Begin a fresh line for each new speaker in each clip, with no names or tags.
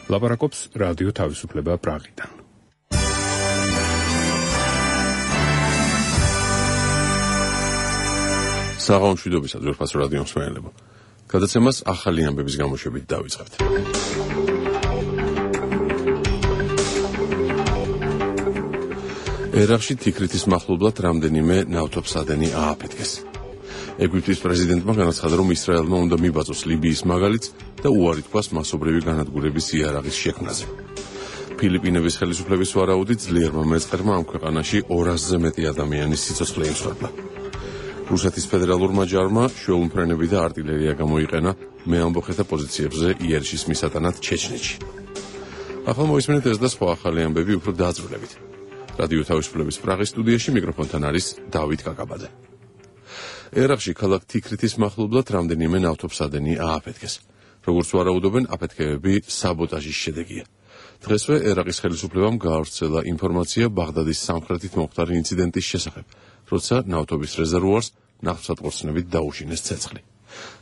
ლაპარაკობს რადიო თავისუფლება პრაღიდან.
საღამომშვიდობისა ძვირფას რადიო მსმენელებო. გადაცემას ახალი ამბების გამოშვებით დავიწყებთ. ერაყში თიქრეთის მახლობლად რამდენიმე ნავთობსადენი ააფეთქეს. ეგვიპტის პრეზიდენტმა განაცხადა, რომ ისრაელმა უნდა მიბაძოს ლიბიის მაგალითს და უარი თქვას მასობრივი განადგურების იარაღის შექმნაზე. ფილიპინების ხელისუფლების ვარაუდით ძლიერმა მეწყერმა ამ ქვეყანაში 200-ზე მეტი ადამიანის სიცოცხლე იმსხვერპლა. რუსეთის ფედერალურმა ჯარმა შუალმფრენები და არტილერია გამოიყენა მეამბოხეთა პოზიციებზე იერიშის მისატანად ჩეჩნეთში. ახლა მოისმენთ ეს და სხვა ახალი ამბები უფრო დაწვრილებით. რადიო თავისუფლების პრაღის სტუდიაში მიკროფონთან არის დავით კაკაბაძე. ერაყში ქალაქ თიქრეთის მახლობლად რამდენიმე ნავთობსადენი ააფეთქეს. როგორც ვარაუდობენ, აფეთქებები საბოტაჟის შედეგია. დღესვე ერაყის ხელისუფლებამ გაავრცელა ინფორმაცია ბაღდადის სამხრეთით მომხდარი ინციდენტის შესახებ, როცა ნავთობის რეზერვუარს ნავთობსატყორცნებით დაუშინეს ცეცხლი.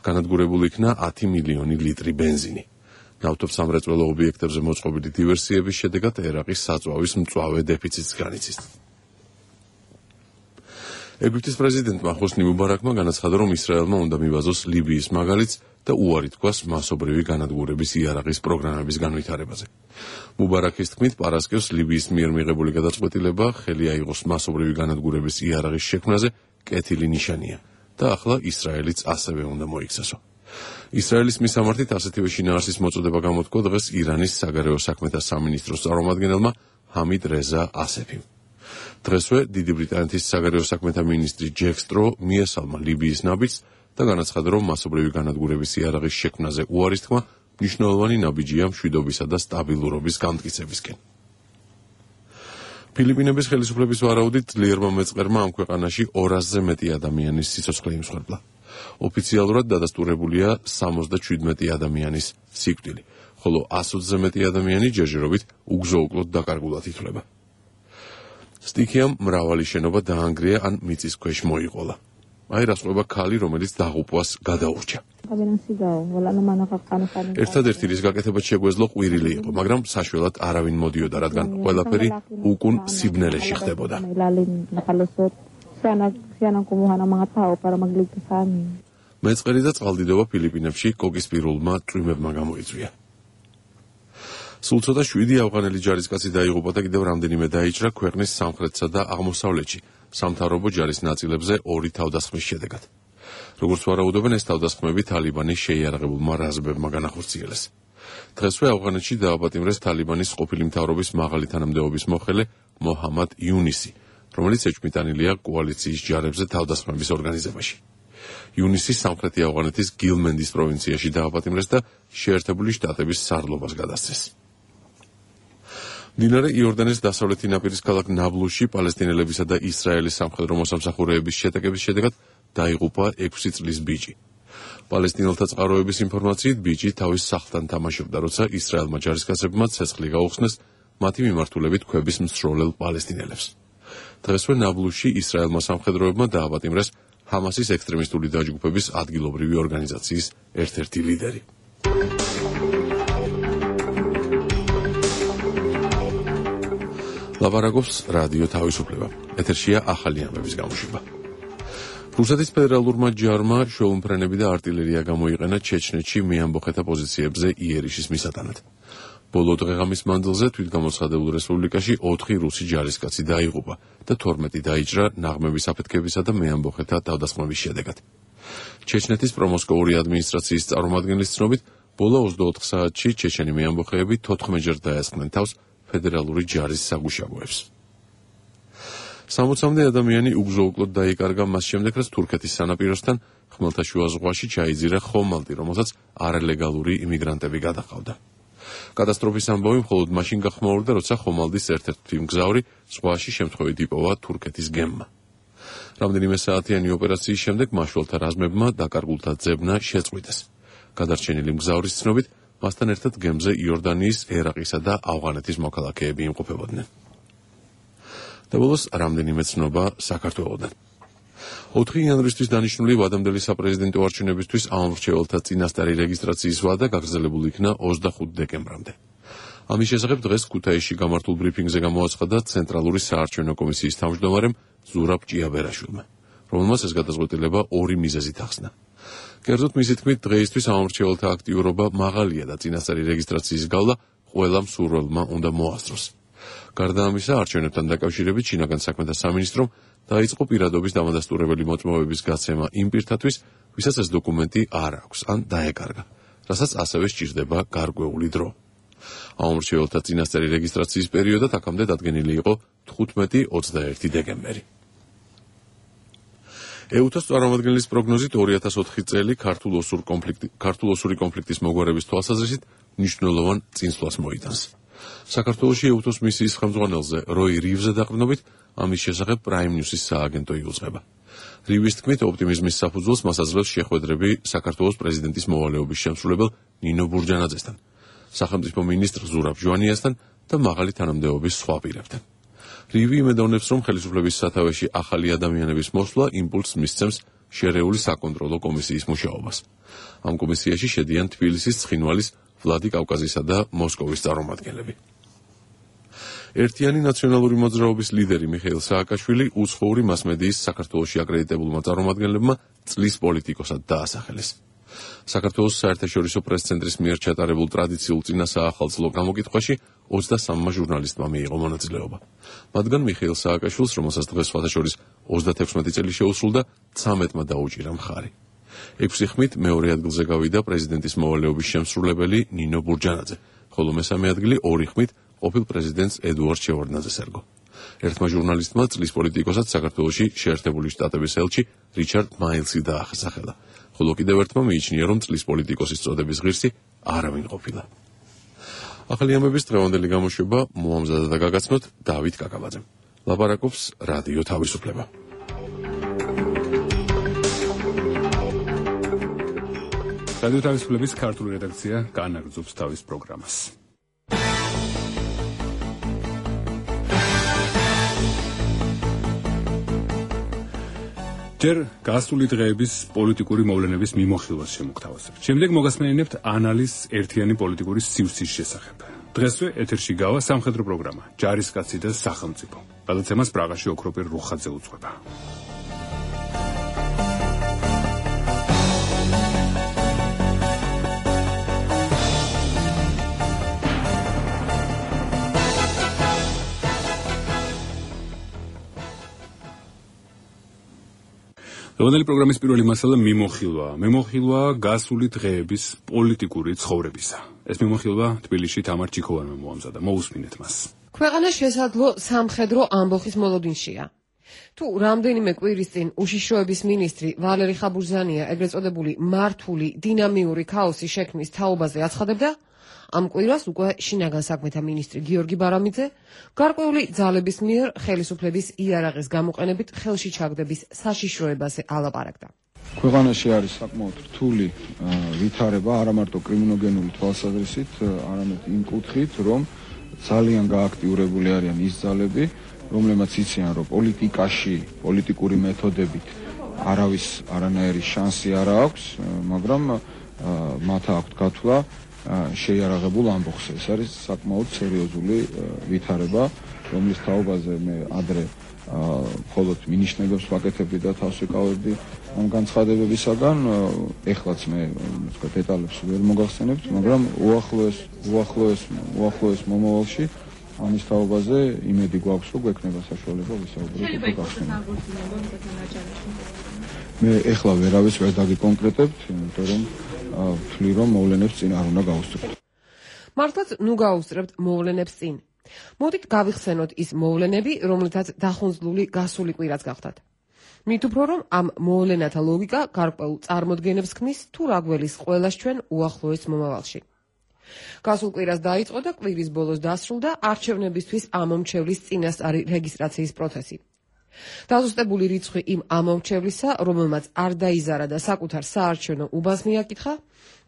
განადგურებული იქნა 10 მილიონი ლიტრი ბენზინი. ნავთობსამრეწველო ობიექტებზე მოწყობილი დივერსიების შედეგად ერაყის საწვავის მწვავე დეფიციტს განიცდის. ეგვიპტის პრეზიდენტმა ხოსნი მუბარაკმა განაცხადა, რომ ისრაელმა უნდა მიბაძოს ლიბიის მაგალითს და უარი თქვას მასობრივი განადგურების იარაღის პროგრამების განვითარებაზე. მუბარაკის თქმით, პარასკევს ლიბიის მიერ მიღებული გადაწყვეტილება ხელი აიღოს მასობრივი განადგურების იარაღის შექმნაზე კეთილი ნიშანია და ახლა ისრაელიც ასევე უნდა მოიქცესო. ისრაელის მისამართით ასეთივე შინაარსის მოწოდება გამოთქვა დღეს ირანის საგარეო საქმეთა სამინისტროს წარმომადგენელმა ჰამიდ რეზა ასეფიმ. დღესვე დიდი ბრიტანეთის საგარეო საქმეთა მინისტრი ჯეკ სტრო მიესალმა ლიბიის ნაბიჯს და განაცხადა, რომ მასობრივი განადგურების იარაღის შექმნაზე უარის თქმა მნიშვნელოვანი ნაბიჯია მშვიდობისა და სტაბილურობის განმტკიცებისკენ. ფილიპინების ხელისუფლების ვარაუდით ძლიერმა მეწყერმა ამ ქვეყანაში 200-ზე მეტი ადამიანის სიცოცხლე იმსხვერპლა. ოფიციალურად დადასტურებულია 77 ადამიანის სიკვდილი, ხოლო 120-ზე მეტი ადამიანი ჯერჯერობით უგზო-უკლოდ დაკარგულად ითვლება. სტიქიამ მრავალი შენობა დაანგრია ან მიწის ქვეშ მოიყოლა. აი რას ყვება ქალი, რომელიც დაღუპვას გადაურჩა. ერთადერთი რის გაკეთებაც შეგვეძლო ყვირილი იყო, მაგრამ საშველად არავინ მოდიოდა, რადგან ყველაფერი უკუნ სიბნელეში ხდებოდა. მეწყერი და წყალდიდობა ფილიპინებში კოკისპირულმა წვიმებმა გამოიწვია. სულ ცოტა 7 ავღანელი ჯარისკაცი დაიღუპა და კიდევ რამდენიმე დაიჭრა ქვეყნის სამხრეთსა და აღმოსავლეთში სამთავრობო ჯარის ნაწილებზე 2 თავდასხმის შედეგად. როგორც ვარაუდობენ, ეს თავდასხმები თალიბანის შეიარაღებულმა რაზმებმა განახორციელეს. დღესვე ავღანეთში დააპატიმრეს თალიბანის ყოფილი მთავრობის მაღალი თანამდებობის მოხელე მოჰამად იუნისი, რომელიც ეჭვმიტანილია კოალიციის ჯარებზე თავდასხმების ორგანიზებაში. იუნისი სამხრეთი ავღანეთის გილმენდის პროვინციაში დააპატიმრეს და შეერთებული შტატების სარდლობას გადასცეს. მდინარე იორდანეს დასავლეთი ნაპირის ქალაქ ნაბლუსში პალესტინელებისა და ისრაელის სამხედრო მოსამსახურეების შეტაკების შედეგად დაიღუპა 6 წლის ბიჭი. პალესტინელთა წყაროების ინფორმაციით ბიჭი თავის სახლთან თამაშობდა, როცა ისრაელმა ჯარისკაცებმა ცეცხლი გაუხსნეს მათი მიმართულებით ქვების მსროლელ პალესტინელებს. დღესვე ნაბლუსში ისრაელმა სამხედროებმა დააპატიმრეს ჰამასის ექსტრემისტული დაჯგუფების ადგილობრივი ორგანიზაციის ერთ-ერთი ლიდერი. ლაპარაკობს რადიო თავისუფლება. ეთერშია ახალი ამბების გამოშვება. რუსეთის ფედერალურმა ჯარმა შუალმფრენები და არტილერია გამოიყენა ჩეჩნეთში მეამბოხეთა პოზიციებზე იერიშის მისატანად. ბოლო დღეღამის მანძილზე თვითგამოცხადებულ რესპუბლიკაში 4 რუსი ჯარისკაცი დაიღუპა და 12 დაიჭრა ნაღმების აფეთქებისა და მეამბოხეთა თავდასხმების შედეგად. ჩეჩნეთის პრომოსკოვური ადმინისტრაციის წარმომადგენლის ცნობით, ბოლო 24 საათში ჩეჩენი მეამბოხეები 14-ჯერ დაესხნენ თავს ფედერალური ჯარის საგუშაგოებს. 60-მდე ადამიანი უგზო-უკლოდ დაიკარგა მას შემდეგ, რაც თურქეთის სანაპიროსთან ხმელთაშუა ზღვაში ჩაიძირა ხომალდი, რომელსაც არალეგალური იმიგრანტები გადაჰყავდა. კატასტროფის ამბავი მხოლოდ მაშინ გახმაურდა, როცა ხომალდის ერთ-ერთი მგზავრი ზღვაში შემთხვევით იპოვა თურქეთის გემმა. რამდენიმე საათიანი ოპერაციის შემდეგ მაშველთა რაზმებმა დაკარგულთა ძებნა შეწყვიტეს. გადარჩენილი მგზავრის ცნობით, მასთან ერთად გემზე იორდანიის, ერაყისა და ავღანეთის მოქალაქეები იმყოფებოდნენ. და ბოლოს რამდენიმე ცნობა საქართველოდან. 4 იანვრისთვის დანიშნული ვადამდელი საპრეზიდენტო არჩევნებისთვის ამომრჩეველთა წინასწარი რეგისტრაციის ვადა გაგრძელებული იქნა 25 დეკემბრამდე. ამის შესახებ დღეს ქუთაისში გამართულ ბრიფინგზე გამოაცხადა ცენტრალური საარჩევნო კომისიის თავმჯდომარემ ზურაბ ჭიაბერაშვილმა, რომელმაც ეს გადაწყვეტილება ორი მიზეზით ახსნა. კერძოდ მისი თქმით, დღეისთვის ამომრჩეველთა აქტიურობა მაღალია და წინასწარი რეგისტრაციის გავლა ყველა მსურველმა უნდა მოასწროს. გარდა ამისა, არჩევნებთან დაკავშირებით შინაგან საქმეთა სამინისტრომ დაიწყო პირადობის დამადასტურებელი მოწმობების გაცემა იმ პირთათვის, ვისაც ეს დოკუმენტი არ აქვს ან დაეკარგა, რასაც ასევე სჭირდება გარკვეული დრო. ამომრჩეველთა წინასწარი რეგისტრაციის პერიოდად აქამდე დადგენილი იყო 15-21 დეკემბერი. EUTA-ს წარმომადგენლის პროგნოზით 2004 წელი ქართულ-ოსური კონფლიქტის მოგვარების თვალსაზრისით მნიშვნელოვან წინსვლას მოიტანს. საქართველოში EUTA-ს მისიის ხელმძღვანელზე როი რივზე დაყრდნობით ამის შესახებ Prime News-ის სააგენტო იუძღება. რივის თქმით, ოპტიმიზმის საფუძველს მას აძლევს შეხვედრები საქართველოს პრეზიდენტის მოვალეობის შემსრულებელ ნინო ბურჯანაძესთან, სახელმწიფო მინისტრ ზურაბ ჟვანიასთან და მაღალი თანამდებობის სხვა პირებთან. რივი იმედოვნებს, რომ ხელისუფლების სათავეში ახალი ადამიანების მოსვლა იმპულსს მისცემს შერეული საკონტროლო კომისიის მუშაობას. ამ კომისიაში შედიან თბილისის, ცხინვალის, ვლადიკავკაზისა და მოსკოვის წარმომადგენლები. ერთიანი ნაციონალური მოძრაობის ლიდერი მიხეილ სააკაშვილი უცხოური მასმედიის საქართველოში აკრედიტებულმა წარმომადგენლებმა წლის პოლიტიკოსად დაასახელეს. საქართველოს საერთაშორისო პრეს-ცენტრის მიერ ჩატარებულ ტრადიციულ წინასაახალწლო გამოკითხვაში 23-მა ჟურნალისტმა მიიღო მონაწილეობა. მათგან მიხეილ სააკაშვილს, რომელსაც დღეს სხვათაშორის 36 წელი შეუსრულდა, 13-მა დაუჭირა მხარი. 6 ხმით მეორე ადგილზე გავიდა პრეზიდენტის მოვალეობის შემსრულებელი ნინო ბურჯანაძე, ხოლო მესამე ადგილი 2 ხმით ყოფილ პრეზიდენტს ედუარდ შევარდნაძეს ერგო. ერთმა ჟურნალისტმა წლის პოლიტიკოსად საქართველოში შეერთებული შტატების ელჩი რიჩარდ მაილსი დაახსახელა, ხოლო კიდევ ერთმა მიიჩნია, რომ წლის პოლიტიკოსის წოდების ღირსი არავინ ყოფილა. ახალი ამბების დღევანდელი გამოშვება მოამზადა და გაგაცნოთ დავით კაკაბაძემ. ლაპარაკობს რადიო თავისუფლება.
რადიო თავისუფლების ქართული რედაქცია განაგრძობს თავის პროგრამას. ჯერ გასული დღეების პოლიტიკური მოვლენების მიმოხილვას შემოგთავაზებთ. შემდეგ მოგასმენინებთ ანალიზს ერთიანი პოლიტიკური სივრცის შესახებ. დღესვე ეთერში გავა სამხედრო პროგრამა ჯარისკაცი და სახელმწიფო. გადაცემას პრაღაში ოქროპირ რუხაძე უძღვება. დღევანდელი პროგრამის პირველი მასალა მიმოხილვა გასული დღეების პოლიტიკური ცხოვრებისა. ეს მიმოხილვა თბილისში თამარ ჩიქოვანმა მოამზადა. მოусმინეთ მას.
ქვეყანა შესაძლო სამხედრო ამბოხის მოლოდინშია. თუ რამდენიმე კვირის წინ უშიშროების მინისტრი ვალერი ხაბურზანია ეგრეთ წოდებული მართული დინამიური ქაოსის შექმნის თაობაზე აცხადებდა, ამ კვირას უკვე შინაგან საქმეთა მინისტრი გიორგი ბარამიძე გარკვეული ძალების მიერ ხელისუფლების იარაღის გამოყენებით ხელში ჩაგდების საშიშროებაზე ალაპარაკდა.
ქვეყანაში არის საკმაოდ რთული ვითარება არა მარტო კრიმინოგენური თვალსაზრისით, არამედ იმ კუთხით, რომ ძალიან გააქტიურებული არიან ის ძალები, რომლებმაც იციან, რომ პოლიტიკაში, პოლიტიკური მეთოდებით არავის არანაირი შანსი არ აქვს, მაგრამ მათ აქვთ გათვლა შეიარაღებულ ამბოხზე. ეს არის საკმაოდ სერიოზული ვითარება, რომლის თაობაზე მე ადრე მხოლოდ მინიშნებებს ვაკეთებდი და თავს ვიკავებდი ამ განცხადებებისაგან. ეხლაც მე დეტალებს ვერ მოგახსენებთ, მაგრამ უახლოეს მომავალში ამის თაობაზე იმედი გვაქვს, რომ გვექნება საშუალება ვისაუბროთ უფრო გახსნილად. მე ეხლა ვერავის ვერ დაგიკონკრეტებთ, იმიტომ რომ ვთვლი, რომ მოვლენებს წინ არ უნდა გავუსწრებთ.
მართლაც ნუ გავუსწრებთ მოვლენებს წინ. მოდით გავიხსენოთ ის მოვლენები, რომლითაც დახუნძლული გასული კვირაც გახდათ. მით უფრო რომ ამ მოვლენათა ლოგიკა გარკვეულ წარმოდგენებს ქმნის თუ რა გველის ყველას ჩვენ უახლოეს მომავალში. გასულ კვირას დაიწყო და კვირის ბოლოს დასრულდა არჩევნებისთვის ამომრჩევლის წინასწარი რეგისტრაციის პროცესი. დაზუსტებული რიცხვი იმ ამომრჩევლისა, რომელმაც არ დაიზარა და საკუთარ საარჩევნო უბანს მიაკითხა,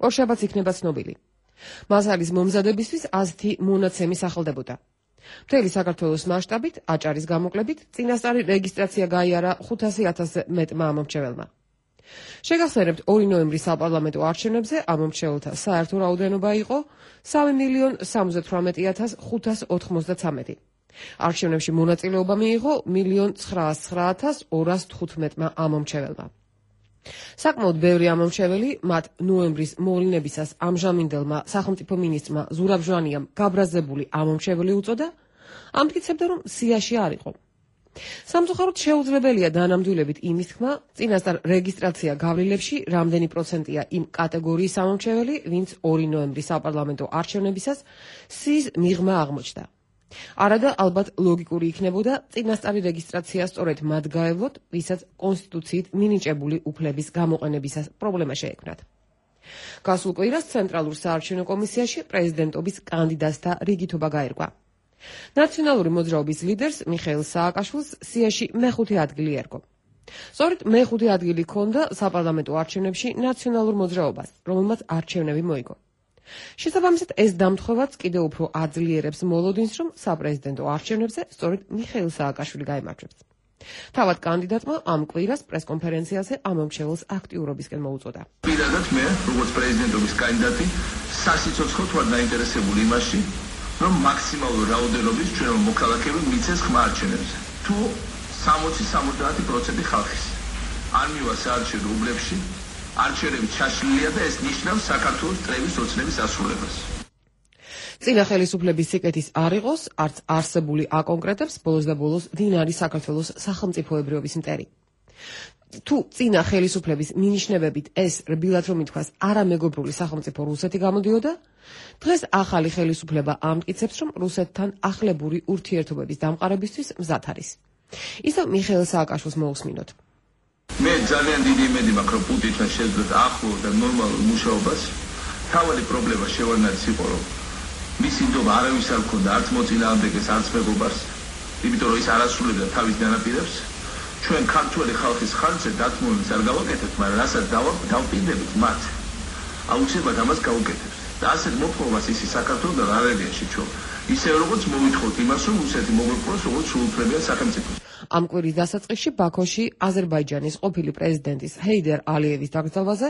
ორშაბათს იქნება ცნობილი. მასალის მომზადებისთვის 110 მონაცემი სახელდებოდა. მთელი საქართველოს მასშტაბით, აჭარის გამოკლებით, წინასწარი რეგისტრაცია გაიარა 500,000-ზე მეტმა ამომრჩეველმა. შეგახსენებთ 2 ნოემბრის საპარლამენტო არჩევნებზე ამომრჩეველთა საერთო რაოდენობა იყო 3.078.593. არჩევნებში მონაწილეობა მიიღო 1.909.215 ამომრჩეველმა. საკმაოდ ბევრი ამომრჩეველი მათ ნოემბრის მოვლენებისას ამჟამინდელმა სახელმწიფო მინისტრმა ზურაბ ჟვანიამ გაბრაზებული ამომრჩეველი უწოდა, ამტკიცებდა, რომ სიაში არ იყო. სამწუხაროდ შეუძლებელია დანამდვილებით იმის თქმა, წინასწარ რეგისტრაცია გავლილებში რამდენი პროცენტია იმ კატეგორიის ამომრჩეველი, ვინც 2 ნოემბრის საპარლამენტო არჩევნებისას სიის მიღმა აღმოჩნდა. არადა ალბათ ლოგიკური იქნებოდა წინასწარი რეგისტრაცია სწორედ მათ გაევლოთ, ვისაც კონსტიტუციით მინიჭებული უფლების გამოყენებისას პრობლემა შეექმნათ. გასულ კვირას ცენტრალურ საარჩევნო კომისიაში პრეზიდენტობის კანდიდატთა რიგითობა გაერკვა. ნაციონალური მოძრაობის ლიდერს მიხეილ სააკაშვილს სიაში მეხუთე ადგილი ერგო. სწორედ მეხუთე ადგილი ჰქონდა საპარლამენტო არჩევნებში ნაციონალურ მოძრაობას, რომელმაც არჩევნები მოიგო. შესაბამისად, ეს დამთხოვაც კიდევ უფრო აძლიერებს მოლოდინს, რომ საპრეზიდენტო არჩევნებზე სწორედ მიხეილ სააკაშვილი გაიმარჯვებს. თავად კანდიდატმა ამ კვირას პრესკონფერენციაზე ამომრჩეველს აქტიურობისკენ მოუწოდა.
პირადად მე, როგორც პრეზიდენტობის კანდიდატი, სასიცოცხლოდ ვარ დაინტერესებული იმაში, რომ მაქსიმალური რაოდენობის ჩვენო მოქალაქეები მიცეს ხმა არჩევნებზე. თუ 60-70% ხალხის არ მივა საარჩევნო უბნებში, არჩევნები ჩაშლილია და ეს ნიშნავს საქართველოს წლების ოცნების ასრულებას.
წინა ხელისუფლების სიკეთის არ იყოს, არც არსებული აკონკრეტებს ბოლოს და ბოლოს ვინ არის საქართველოს სახელმწიფოებრიობის მტერი. თუ წინა ხელისუფლების მინიშნებებით ეს რბილად რომ ითქვას არამეგობრული სახელმწიფო რუსეთი გამოდიოდა, დღეს ახალი ხელისუფლება ამტკიცებს, რომ რუსეთთან ახლებური ურთიერთობების დამყარებისთვის მზად არის. ისევ მიხეილ სააკაშვილს მოусმინოთ.
მე ძალიან დიდი იმედი მაქვს, რომ პუტინთან შეძლოთ ახლო და ნორმალურ მუშაობას. თავი პრობლემა შევარდნაძის იყო, რომ მისი ნდობა არავის არ ჰქონდა, არც მოწინააღმდეგეს, არც მეგობარს, იმიტომ რომ ის არ ასრულებდა თავის განაპირებს. ჩვენ ქართველი ხალხის ხარჯზე დათმობებს არ გავაკეთებთ, მაგრამ რასაც დავპირდებით მათ, აუცილებლად ამას გავუკეთებთ. და ასეთ მოთხოვებას ისი საქართველოსთან არ ელიაში ჩვენ. ისე როგორც მოვითხოვთ იმას, რომ რუსეთი მოგვეპყროს როგორც სრულუფლებიან სახელმწიფოს.
ამ კვირის დასაწყისში ბაქოში აზერბაიჯანის ყოფილი პრეზიდენტის ჰეიდერ ალიევის დაკრძალვაზე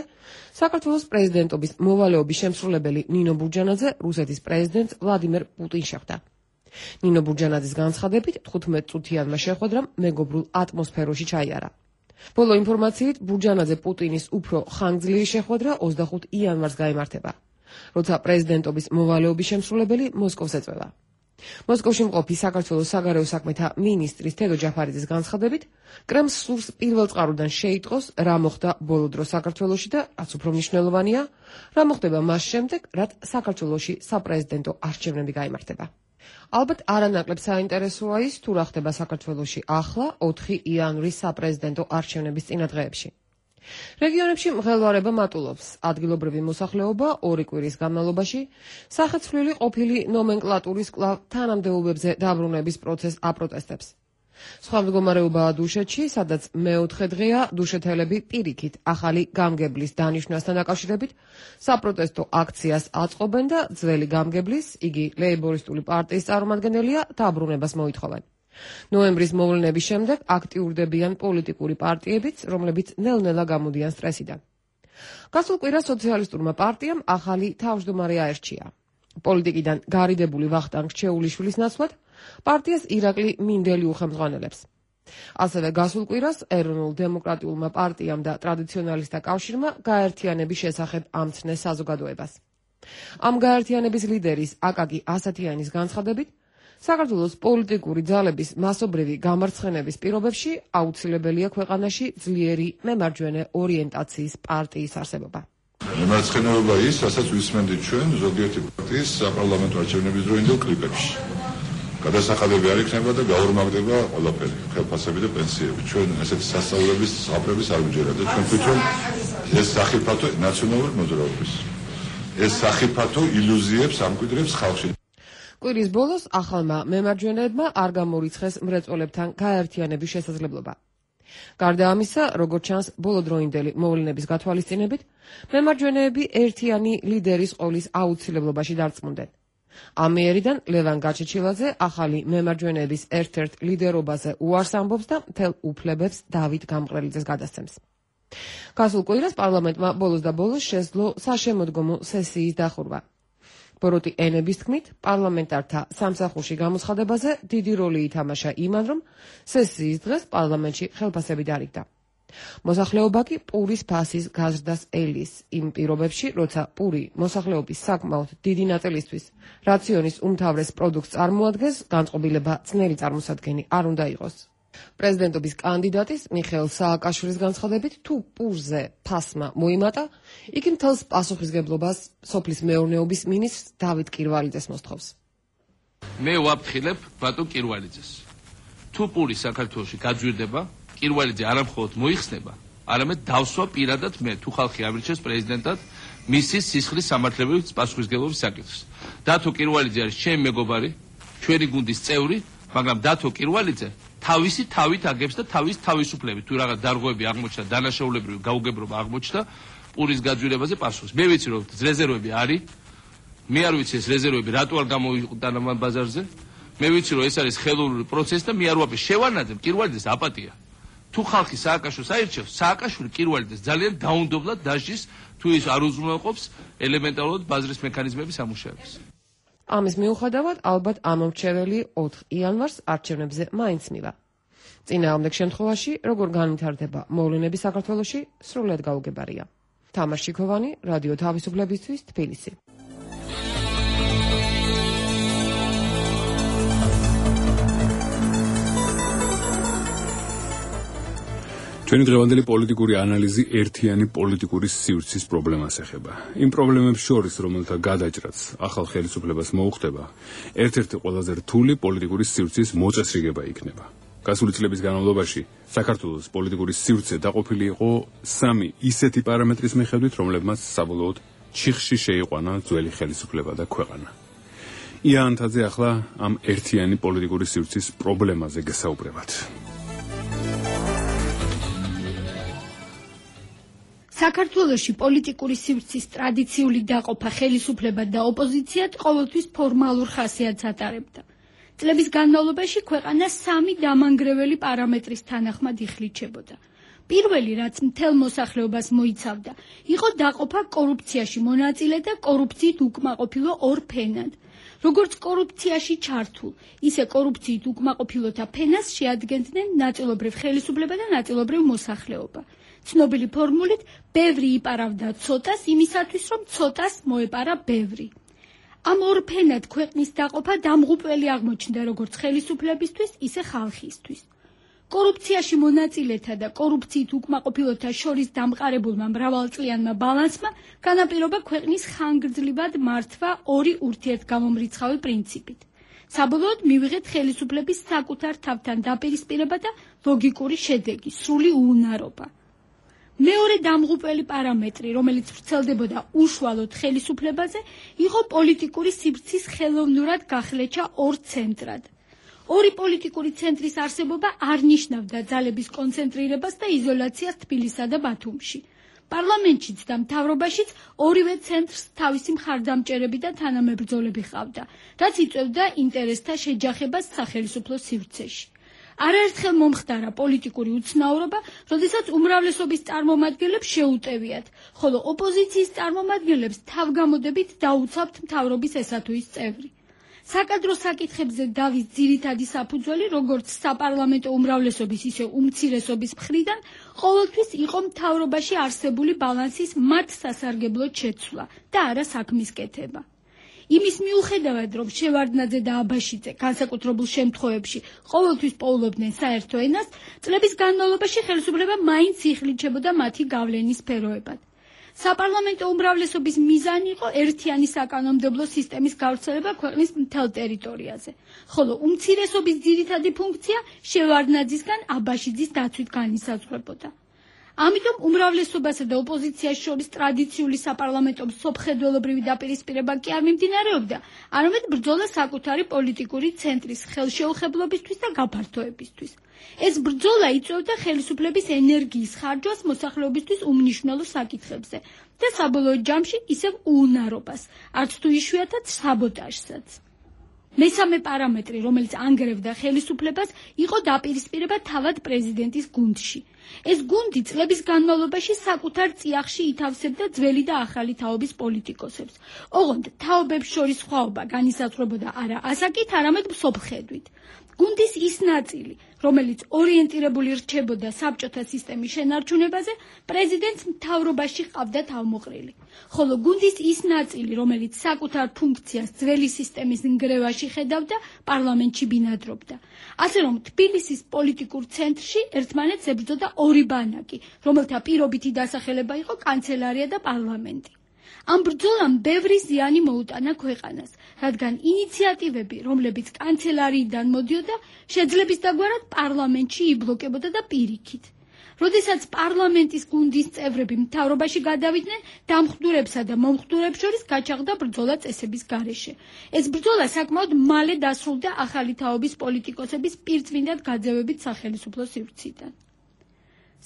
საქართველოს პრეზიდენტობის მოვალეობის შემსრულებელი ნინო ბურჯანაძე რუსეთის პრეზიდენტს ვლადიმერ პუტინს შეხვდა. ნინო ბურჯანაძის განცხადებით 15 წუთიანმა შეხვედრამ მეგობრულ ატმოსფეროში ჩაიარა. ბოლო ინფორმაციით ბურჯანაძე პუტინის უფრო ხანგრძლივი შეხვედრა 25 იანვარს გაიმართება, როცა პრეზიდენტობის მოვალეობის შემსრულებელი მოსკოვს ეწევა. მოსკოვში მყოფი საქართველოს საგარეო საქმეთა მინისტრის თედო ჯაფარიძის განცხადებით, კრემლს სურს პირველ წყაროდან შეიტყოს, რა მოხდა ბოლო დროს საქართველოში და რაც უფრო მნიშვნელოვანია, რა მოხდება მას შემდეგ, რაც საქართველოში საპრეზიდენტო არჩევნები გაიმართება. ალბათ არანაკლებ საინტერესოა ის, თუ რა ხდება საქართველოში ახლა 4 იანვრის საპრეზიდენტო არჩევნების წინადღეებში. რეგიონებში მღელვარება მატულობს. ადგილობრივი მოსახლეობა 2 კვირის განმავლობაში სახეცვლილი ყოფილი ნომენკლატურის კვლავ თანამდებობებზე დაბრუნების პროცესს აპროტესტებს. სხვა მდგომარეობაა დუშეთში, სადაც მეოთხე დღეა დუშეთელები პირიქით ახალი გამგებლის დანიშვნასთან დაკავშირებით საპროტესტო აქციას აწყობენ და ძველი გამგებლის, იგი ლეიბორისტული პარტიის წარმომადგენელია, დაბრუნებას მოითხოვენ. ნოემბრის მოვლენების შემდეგ აქტიურდებიან პოლიტიკური პარტიებიც, რომლებიც ნელ-ნელა გამოდიან სტრესიდან. გასულ კვირას სოციალისტურმა პარტიამ ახალი თავმჯდომარე აერჩია. პოლიტიკიდან გარიდებული ვახტანგ რჩეულიშვილის ნაცვლად პარტიას ირაკლი მინდელი უხელმძღვანელებს. ასევე გასულ კვირას ეროვნულ დემოკრატიულმა პარტიამ და ტრადიციონალისტთა კავშირმა გაერთიანების შესახებ ამცნეს საზოგადოებას. ამ გაერთიანების ლიდერის აკაკი ასათიანის განცხადებით, საქართველოს პოლიტიკური ძალების მასობრივი გამარცხენების პირობებში აუცილებელია ქვეყანაში ძლიერი მემარჯვენე ორიენტაციის პარტიის არსებობა.
მემარცხენეობა ის, რასაც ვისმენდით ჩვენ ზოგიერთი პარტიის საპარლამენტო არჩევნების დროინდელ კლიპებში. გადასახადები არ იქნება და გაორმაგდება ყველაფერი, ხელფასები და პენსიები. ჩვენ ესეთი სასწავლების საფრების არ ვიჯერა და ჩვენ თვითონ ეს სახიფათო ნაციონალური მოძრაობის. ეს სახიფათო ილუზიებს ამკვიდრებს ხალხში.
კვირის ბოლოს ახალმა მემარჯვენეებმა არ გამორიცხეს მრეწველებთან გაერთიანების შესაძლებლობა. გარდა ამისა, როგორც ჩანს, ბოლო დროინდელი მოვლენების გათვალისწინებით, მემარჯვენეები ერთიანი ლიდერის ყოლის აუცილებლობაში დარწმუნდნენ. ამ მიერიდან ლევან გაჩეჩილაძე ახალი მემარჯვენეების ერთ-ერთ ლიდერობაზე უარს ამბობს და მთელ უფლებებს დავით გამყრელიძეს გადასცემს. გასულ კვირას პარლამენტმა ბოლოს და ბოლოს შეძლო საშემოდგომო სესიის დახურვა. ბოროტი ენების თქმით, პარლამენტართა სამსახურში გამოცხადებაზე დიდი როლი ითამაშა იმან, რომ სესიის დღეს პარლამენტში ხელფასები დარიგდა. მოსახლეობა კი პურის ფასის გაზრდას ელის იმ პირობებში, როცა პური მოსახლეობის საკმაოდ დიდი ნაწილისთვის რაციონის უმთავრეს პროდუქტს წარმოადგენს, განწყობილება ძნელი წარმოსადგენი არ უნდა იყოს. პრეზიდენტობის კანდიდატის მიხეილ სააკაშვილის განცხადებით, თუ პურზე ფასმა მოიმატა, იგი მთელს პასუხისგებლობას სოფლის მეურნეობის მინისტრს დავით კირვალიძეს მოსთხოვს.
მე ვაფრთხილებ ბატონ კირვალიძეს. თუ პური საქართველოში გაძვირდება, კირვალიძე არამხოლოდ მოიხსნება, არამედ დავსვა პირადად მე, თუ ხალხი ამირჩევს პრეზიდენტად მისი სისხლის სამართლებრივი პასუხისგებლობის საკითხს. დათო კირვალიძე არის ჩემი მეგობარი, ჩვენი გუნდის წევრი, მაგრამ დათო კირვალიძე თავისი თავით აგებს და თავის თავისუფლებით თუ რაღაც დარღვევები აღმოჩნდა, დანაშაულებრივი გაუგებრობა აღმოჩნდა, პურის გაძვირებაზე პასუხს. მე ვიცი რომ რეზერვები არის, მე არ ვიცი ეს რეზერვები რატო არ გამოიყენა ამ ბაზარზე. მე ვიცი რომ ეს არის ხელოვნური პროცესი და მე არ ვაპე შევანაძებ კირვალიძეს აპატია. თუ ხალხი სააკაშვილს აირჩევს, სააკაშვილი კირვალიძეს ძალიან დაუნდობლად დაჟის, თუ ის არ უზრუნველყოფს ელემენტარულად ბაზრის მექანიზმების ამუშავებას.
ამის მიუხედავად, ალბათ ამომრჩეველი 4 იანვარს არჩევნებზე მაინც მივა. წინააღმდეგ შემთხვევაში, როგორ განვითარდება მოვლენები საქართველოში, სრულად გაუგებარია. თამარ შიქოვანი, რადიო თავისუფლებისთვის, თბილისი.
ჩვენი დღევანდელი პოლიტიკური ანალიზი ერთიანი პოლიტიკური სივრცის პრობლემას ეხება. იმ პრობლემებს შორის, რომელთა გადაჭრაც ახალ ხელისუფლებას მოუხდება, ერთ-ერთი ყველაზე რთული პოლიტიკური სივრცის მოწესრიგება იქნება. გასული წლების განმავლობაში საქართველოს პოლიტიკური სივრცე დაყოფილი იყო 3 ისეთი პარამეტრის მიხედვით, რომლებმაც საბოლოოდ ჩიხში შეიყვანა ძველი ხელისუფლება და ქვეყანა. ია ანთაძე ახლა ამ ერთიანი პოლიტიკური სივრცის პრობლემაზე გესაუბრებათ.
საქართველოში პოლიტიკური სივრცის ტრადიციული დაყოფა ხელისუფლება და ოპოზიციად ყოველთვის ფორმალურ ხასიათს ატარებდა. წლების განმავლობაში ქვეყანა 3 დამანგრეველი პარამეტრის თანახმად იხლიჩებოდა. პირველი, რაც მთელ მოსახლეობას მოიცავდა, იყო დაყოფა კორუფციაში მონაწილე და კორუფციით უკმაყოფილო ორ ფენად. როგორც კორუფციაში ჩართულ, ისე კორუფციით უკმაყოფილოთა ფენას შეადგენდნენ ნაწილობრივ ხელისუფლება და ნაწილობრივ მოსახლეობა. ცნობილი ფორმულით, ბევრი იპარავდა ცოტას იმისათვის, რომ ცოტას მოეპარა ბევრი. ამ ორ ფენად ქვეყნის დაყოფა დამღუპველი აღმოჩნდა როგორც ხელისუფლებისთვის, ისე ხალხისთვის. კორუფციაში მონაწილეთა და კორუფციით უკმაყოფილოთა შორის დამყარებულმა მრავალწლიანმა ბალანსმა განაპირობა ქვეყნის ხანგრძლივად მართვა ორი ურთიერთგამომრიცხავი პრინციპით. საბოლოოდ მივიღეთ ხელისუფლების საკუთარ თავთან დაპირისპირება და ლოგიკური შედეგი, სრული უუნარობა. მეორე დამღუპველი პარამეტრი, რომელიც ვრცელდებოდა უშუალოდ ხელისუფლებაზე, იყო პოლიტიკური სივრცის ხელოვნურად გახლეჩა ორ ცენტრად. ორი პოლიტიკური ცენტრის არსებობა არ ნიშნავდა ძალების კონცენტრირებას და იზოლაციას თბილისსა და ბათუმში. პარლამენტშიც და მთავრობაშიც ორივე ცენტრს თავისი მხარდამჭერები და თანამებრძოლები ჰყავდა, რაც იწვევდა ინტერესთა შეჯახებას სახელმწიფო სივრცეში. არაერთხელ მომხდარა პოლიტიკური უცნაურობა, როდესაც უმრავლესობის წარმომადგენლებს შეუტევიათ, ხოლო ოპოზიციის წარმომადგენლებს თავგამოდებით დაუცავთ მთავრობის ესა თუ ის წევრი. საკადრო საკითხებზე დავის ძირითადი საფუძველი, როგორც საპარლამენტო უმრავლესობის, ისე უმცირესობის მხრიდან, ყოველთვის იყო მთავრობაში არსებული ბალანსის მათ სასარგებლოდ შეცვლა და არა საქმის კეთება. იმის მიუხედავად, რომ შევარდნაძე და აბაშიძე განსაკუთრებულ შემთხვევებში ყოველთვის პოულობდნენ საერთო ენას, წლების განმავლობაში ხელისუფლება მაინც იხლიჩებოდა მათი გავლენის სფეროებად. საპარლამენტო უმრავლესობის მიზანი იყო ერთიანი საკანონმდებლო სისტემის გავრცელება ქვეყნის მთელ ტერიტორიაზე, ხოლო უმცირესობის ძირითადი ფუნქცია შევარდნაძისგან აბაშიძის დაცვით განისაზღვრებოდა. ამიტომ უმრავლესობასა და ოპოზიციას შორის ტრადიციული საპარლამენტო მსოფლმხედველობრივი დაპირისპირება კი არ მიმდინარეობდა, არამედ ბრძოლა საკუთარი პოლიტიკური ცენტრის ხელშეუხებლობისთვის და გაფართოებისთვის. ეს ბრძოლა იწვევდა ხელისუფლების ენერგიის ხარჯვას მოსახლეობისთვის უმნიშვნელო საკითხებზე და საბოლოო ჯამში ისევ უუნარობას, არც თუ იშვიათად საბოტაჟსაც. მესამე პარამეტრი, რომელიც ანგრევდა ხელისუფლებას, იყო დაპირისპირება თავად პრეზიდენტის გუნდში. ეს გუნდი წლების განმავლობაში საკუთარ წიაღში ითავსებდა ძველი და ახალი თაობის პოლიტიკოსებს. ოღონდ თაობებს შორის სხვაობა განისაზღვრებოდა არა ასაკით, არამედ მსოფლხედვით. გუნდის ის ნაწილი, რომელიც ორიენტირებული რჩებოდა საბჭოთა სისტემის შენარჩუნებაზე, პრეზიდენტს მთავრობაში ჰყავდა თავმოყრილი. ხოლო გუნდის ის ნაწილი, რომელიც საკუთარ ფუნქციას ძველი სისტემის ნგრევაში ხედავდა, პარლამენტში ბინადრობდა. ასე რომ თბილისის პოლიტიკურ ცენტრში ერთმანეთს ებრძოდა ორი ბანაკი, რომელთა პირობითი დასახელება იყო კანცელარია და პარლამენტი. ამ ბრძოლამ ბევრი ზიანი მოუტანა ქვეყანას, რადგან ინიციატივები, რომლებიც კანცელარიიდან მოდიოდა, შეძლების დაგვარად პარლამენტში იბლოკებოდა და პირიქით. როდესაც პარლამენტის გუნდის წევრები მთავრობაში გადავიდნენ, დამხდურებსა და მომხდურებს შორის გაჩაღდა ბრძოლა წესების გარეშე. ეს ბრძოლა საკმაოდ მალე დასრულდა ახალი თაობის პოლიტიკოსების პირწმინდად გაძევებით სახელმწიფო სივრციდან.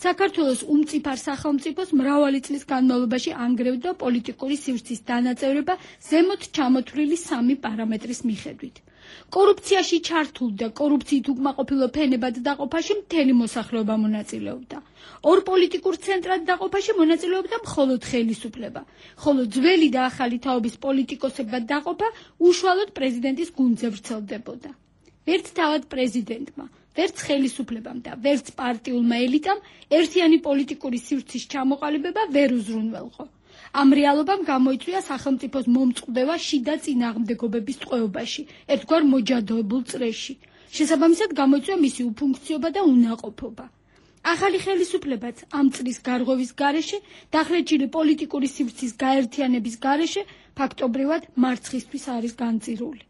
საქართველოს უმწიფარ სახელმწიფოს მრავალი წლის განმავლობაში ანგრევდა პოლიტიკური სივრცის დანაწევრება ზემოთ ჩამოთვლილი სამი პარამეტრის მიხედვით. კორუფციაში ჩართულ და კორუფციით უკმაყოფილო ფენებად დაყოფაში მთელი მოსახლეობა მონაწილეობდა. ორ პოლიტიკურ ცენტრად დაყოფაში მონაწილეობდა მხოლოდ ხელისუფლება, ხოლო ძველი და ახალი თაობის პოლიტიკოსებმა დაყოფა უშუალოდ პრეზიდენტის გუნდზე ვრცელდებოდა. ვერც თავად პრეზიდენტმა, ვერც ხელისუფლებამ და ვერც პარტიულმა ელიტამ ერთიანი პოლიტიკური სივრცის ჩამოყალიბება ვერ უზრუნველყო. ამ რეალობამ გამოიწვია სახელმწიფოს მომწყდება შიდა წინააღმდეგობების ტყვეობაში, ერთგვარ მოჯადოებულ წრეში. შესაბამისად გამოიწვია მისი უფუნქციობა და უნაყოფობა. ახალი ხელისუფლებაც ამ წრის გარღვევის გარეშე, დახრეჭილი პოლიტიკური სივრცის გაერთიანების გარეშე, ფაქტობრივად მარცხისთვის არის განწირული.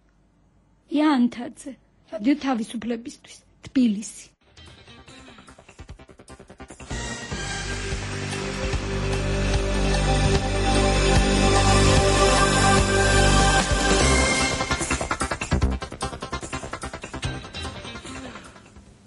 იანთაძე, რადიო თავისუფლებისთვის, თბილისი.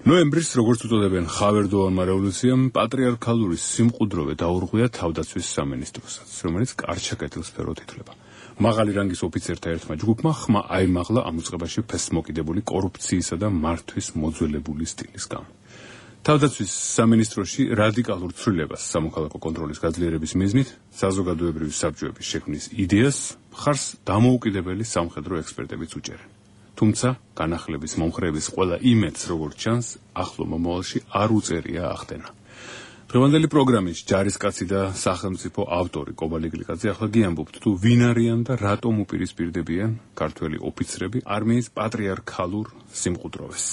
ნოემბრის, როგორც უწოდებენ, ხავერდოვანმა რევოლუციამ პატრიარქალური სიმყუდროვე დაურღვია თავდაცვის სამინისტროსაც, რომელიც კარჩაკეტილ სფეროთ ითვლება. მაღალი რანგის ოფიცერთა ერთმა ჯგუფმა ხმა აიმაღლა ამ უწყებაში ფესმოკიდებული კორუფციისა და მართვის მოძველებული სტილის გამო. თავდაცვის სამინისტროში რადიკალურ ცვლილებას სამოქალაქო კონტროლის გაძლიერების მიზნით საზოგადოებრივი საბჭოების შექმნის იდეას მხარს დამოუკიდებელი სამხედრო ექსპერტებიც უჭერენ. თუმცა განახლების მომხრეების ყველა იმედს, როგორც ჩანს, ახლო მომავალში არ უწერია ახდენა. დღევანდელი პროგრამის ჯარისკაცი და სახელმწიფო ავტორი კობალი გლიკაძე ახლა გიამბობთ, თუ ვინ არიან და რატომ უპირისპირდებიან ქართველი ოფიცრები არმიის პატრიარქალურ სიმყუდროვეს.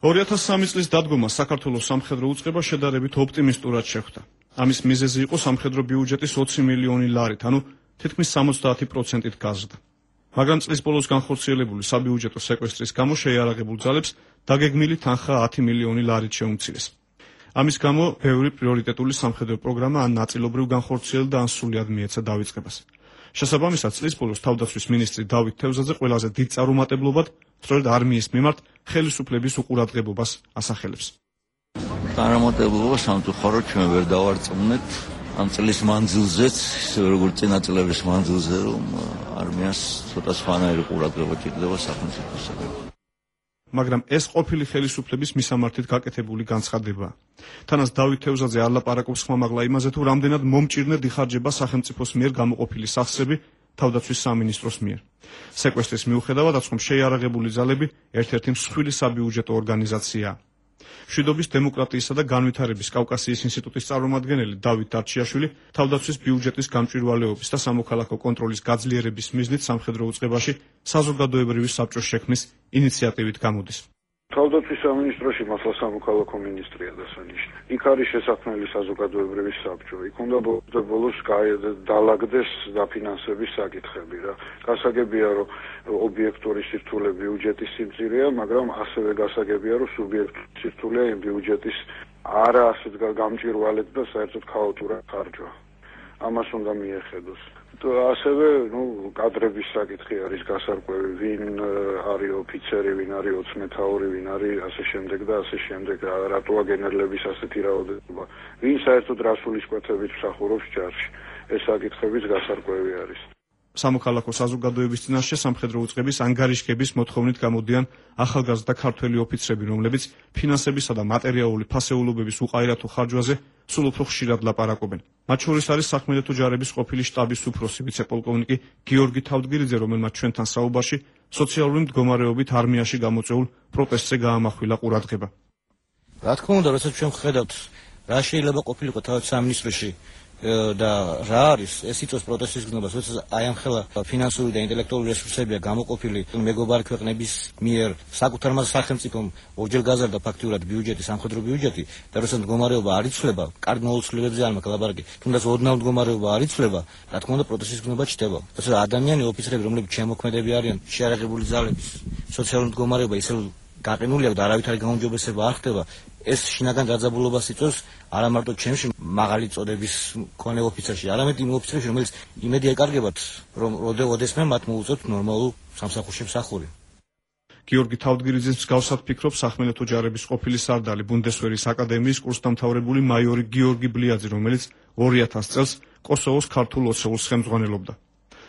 2003 წლის დადგომა საქართველოს სამხედრო უწყება შედარებით ოპტიმისტურად შეხვდა. ამის მიზეზი იყო სამხედრო ბიუჯეტის 20 მილიონი ლარით, ანუ თითქმის 70%-ით გაზრდა. მაგრამ წლის ბოლოს განხორციელებული საბიუჯეტო სეკვესტრის გამო შეიარაღებულ ძალებს დაგეგმილი თანხა 10 მილიონი ლარით შეუმცირეს. ამის გამო ბევრი პრიორიტეტული სამხედრო პროგრამა ან ნაწილობრივ განხორციელდა, ან სრულად მიეცა დავიწყებას. შესაბამისად, წლის ბოლოს თავდაცვის მინისტრი დავით თევზაძე ყველაზე დიდ წარუმატებლობად სწორედ არმიის მიმართ ხელისუფლების უყურადღებობას ასახელებს.
წარუმატებლობა სამწუხაროდ ჩვენ ვერ დავარწმუნეთ ამ წლის მანძილზეც, ისე როგორც წინა წლების მანძილზე, რომ არმიას ცოტა სხვანაირი ყურადღება ჭირდება სახელმწიფოსაგან.
მაგრამ ეს ყოფილი ხელისუფლების მისამართით გაკეთებული განცხადებაა. თანაც დავით თევზაძე არ ლაპარაკობს ხმამაღლა იმაზე, თუ რამდენად მომჭირნედ იხარჯება სახელმწიფოს მიერ გამოყოფილი სახსრები თავდაცვის სამინისტროს მიერ. სეკვესტრის მიუხედავად, აცხომ შეიარაღებული ძალები ერთ-ერთი მსხვილი საბიუჯეტო ორგანიზაციაა. მშვიდობის, დემოკრატიისა და განვითარების კავკასიის ინსტიტუტის წარმომადგენელი დავით დარჩიაშვილი თავდაცვის ბიუჯეტის გამჭვირვალეობის და სამოქალაქო კონტროლის გაძლიერების მიზნით სამხედრო უწყებაში საზოგადოებრივი საბჭოს შექმნის ინიციატივით გამოდის.
თავდაცვის სამინისტროში მართლა სამოქალაქო მინისტრია დასანიშნავი. იქ არის შესაქმნელი საზოგადოებრივი საბჭო. იქ უნდა ბოლოს დაალაგდეს დაფინანსების საკითხები რა. გასაგებია, რომ ობიექტური სირთულე ბიუჯეტის სიმწირეა, მაგრამ ასევე გასაგებია, რომ სუბიექტური სირთულე იმ ბიუჯეტის არა ასეთ გამჭვირვალედ და საერთოდ ქაოტურად ხარჯვა. ამას უნდა მიეხედოს. ასევე, კადრების საკითხი არის გასარკვევი, ვინ არის ოფიცერი, ვინ არის ოცნეთაური, ვინ არის ასე შემდეგ და ასე შემდეგ, რატოა გენერლების ასეთი რაოდენობა, ვინ საერთოდ რასულისკვეთებით მსახურობს ჯარში. ეს საკითხებიც გასარკვევი არის.
სამოქალაქო საზოგადოების წინაშე სამხედრო უწყების ანგარიშგების მოთხოვნით გამოდიან ახალგაზრდა ქართველი ოფიცრები, რომლებიც ფინანსებისა და მატერიალური ფასეულობების უყაირათო ხარჯვაზე სულ უფრო ხშირად ლაპარაკობენ. მათ შორის არის სახმელეთო ჯარების ყოფილი შტაბის უფროსი ვიცე-პოლკოვნიკი გიორგი თავდგირიძე, რომელმაც ჩვენთან საუბარში სოციალური მდგომარეობით არმიაში გამოწვეულ პროტესტზე გაამახვილა ყურადღება.
რა თქმა უნდა, როდესაც ჩვენ ვხედავთ, რა შეიძლება ყოფილიყო თავად სამინისტროში და რა არის ეს იწვევს პროტესტის გზნობას, როდესაც აი ამ ხელა ფინანსური და ინტელექტუალური რესურსებია გამოყოფილი მეგობარი ქვეყნების მიერ საკუთარმა სახელმწიფომ ორჯერ გაზარდა ფაქტიურად ბიუჯეტი, სამხედრო ბიუჯეტი და როდესაც მდგომარეობა არ იცვლება, კარგ მოუცლებებზე არ მაქვს ლაპარაკი, თუნდაც ოდნავ მდგომარეობა არ იცვლება, რა თქმა უნდა პროტესტის გზნობა ჩდება. როდესაც ადამიანი ოფიცრები, რომლებიც შემოქმედები არიან, შეარაღებული ძალების სოციალური მდგომარეობა ისე გაყინულია და არავითარი გაუმჯობესება არ ხდება. ეს შინაგან დაძაბულობას იწვევს არა მარტო ჩემში მაღალი წოდების მქონე ოფიცერში, არამედ იმ ოფიცერებში, რომელიც იმედი ეკარგებათ, რომ ოდესმე მათ მოუწევთ ნორმალურ სამსახურში მსახური.
გიორგი თავდგირიძის მსგავსად ფიქრობს სახმელეთო ჯარების ყოფილი სარდალი, ბუნდესვერის აკადემიის კურსდამთავრებული მაიორი გიორგი ბლიაძე, რომელიც 2000 წელს კოსოვოს ქართულ ოცეულს ხელმძღვანელობდა.